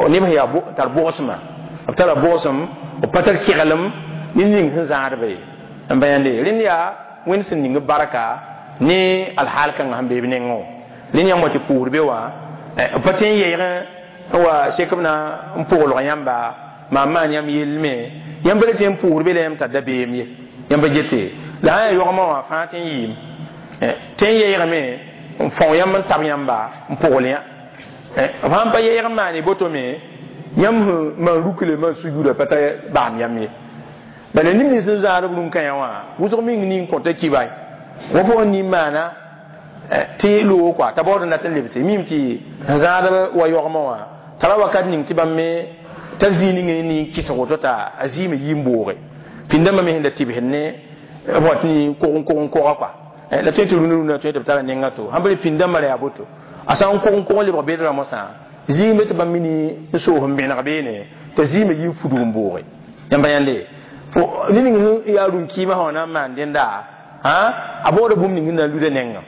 neb sẽn yaa tar bʋgsmã b tara bʋgsem b pa tar keglem ne ning sẽn zãadba ye n ba yãnde rẽnd yaa wẽnd sẽn ning b baraka ne alhaal kãngã sẽn bee b nengẽ wã rẽnd yãmb wa tɩ pʋʋsd be wã b pa tõe n yɛɛg n wa sek b na n pʋglg yãmba maan maan yãmb yell me yãmb pa le tɩ n pʋʋsd be la yãmb tar dabeem ye yãmb pa gete la sã yaa yaoogmã wã fãa tɩ n yɩɩm tɩ n yɛɛgame n fão yãmb n tab yãmba n pʋgl yã b sãn pa yɛɛg n maane boto me yãmb sẽn maan rukle maan sujuuda pa ta baam yãmb ye bala neb nins sẽn zãad b rũn-kãyã wã wʋsg meng ning kõta kiba wa fo n nin maana tɩ loog kɔa t'a baood n dat n lebse mim tɩ sẽn zãadb wa yaoogmã wã tara wakat ning tɩ bãmb me t'a zĩig ning ning kɩsg woto t'a a zɩɩme yɩ n booge pĩndãmbã me sẽn da tɩbsd ne b wa tɩ kog n koga kɔa la tõe tɩ rũnã rũnã tõe tɩ b tara nenga to sãn pa le pĩndãmbã ra yaa boto a sã n kog n kog n lebg bedrã mosã zĩig me tɩ bãmb me ni n soos n bẽneg beene t'a zĩime yɩ n fudg n booge yãmba yãnde ne ning sẽn yaa rũn-kɩɩmã sã wã na n maan dẽnda a baooda bũmb ning sẽn na n luda nengã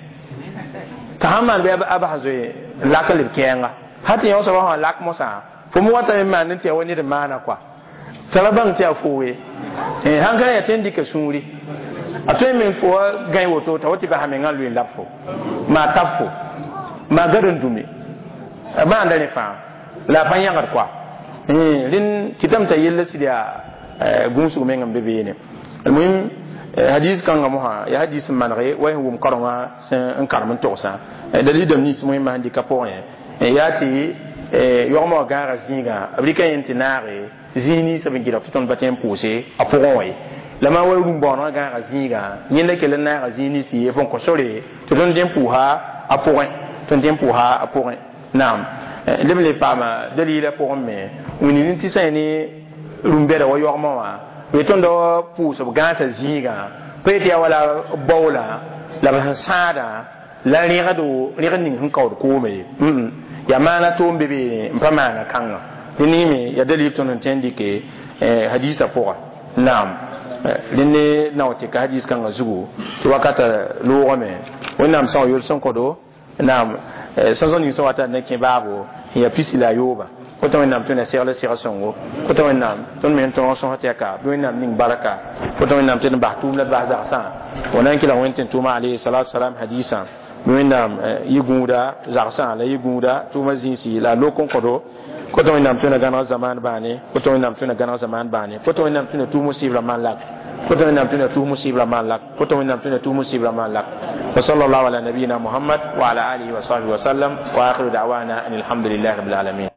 t'a sãn maan bɩ a bas zoe n lak n leb kɛɛnga sã tɩ yõ soabã sã lak mosã fo me watame n maand n tɩ yaa wa ned n maana kɔa t'a ra bãng tɩ yaa foowe sãn ka yaa tɩ n dɩka sũuri a tõe me fo wa gãe woto t'a wa tɩ basa mengã n loe n lab fo maa tab fo maa gad n dũme maanda rẽ fãa la a pa yãgd kɔa rẽnd kɩtame t'a yella sɩd yaa gũusg meng n be beene almuhim hadis kãngã mosã yaa hadis n manege wa sẽn wʋm karengã sẽn n karem n togsã dalil dãmb nins moẽmã sẽn dɩka pʋgẽ yaa tɩ yaoogmã wã gãaga zĩigã b rɩka yẽ tɩ naage zĩig ninsã b n gɩdg tɩ tõnd pa tõe n pʋʋse a pʋgẽ wã ye la maa wa rũm-bõonegã gãaga zĩigã yẽnda kell n naaga zĩig nins ye fo n kõ sore tɩ tõnd dẽ n pʋʋsa a pʋgẽ tõnd dẽ n pʋʋsa a pʋgẽ naam leb n le paama dalila pʋgẽ me wĩnd tɩ sã ne rũm-bɛda wa yaoogmã wã b tõnd pʋʋs b gãasa zĩigã pa yetɩ yaa wala baoola la b sẽn sãadã la rẽgdo rẽgd ning sẽn kaood koome ye yaa maana toom be beene n pa maana kãngã rẽ ningme yaa dalil tõnd n tõe n dɩke hadisa pʋga naam rẽnd ne nao tɩ ka hadis kãngã zugu tɩ wakata loogame wẽnnaam sõa yol sẽn kõdo naam sõsg ning sẽn wata n na kẽ baabo n yaa pisi la a yooba kota wẽnnaam tõe na segl seg sõngo kota wẽnnaam tõnd me n tõog sõs tɩ yaka bɩ wẽnnaam ning baraka kota wẽnnaam tɩ d bas tʋʋm la d bas zagsã wa na n kelg wẽnd tɩ n tʋʋma alayhi salatu salam hadisã bɩ wẽnnaam yɩ gũuda zagsã la yɩ gũuda tʋʋma zĩisi la a lok n kõdo kota wẽnnaam tõe na gãneg zamaan bãane kota wẽnnaam tõe na gãneg zamaan bãane kota wẽnnaam tõe na tʋʋm musibra maan lak kota wẽnnaam tõe na tʋʋm musibra maan lak kota wẽnnaam tõe na tʋʋm musibra maan lak wa sallallahu ala nabiyina muhammad wa ala alihi wa sahbihi wa sallam wa akhiru da'wana an alhamdulillahi rabbil alamin.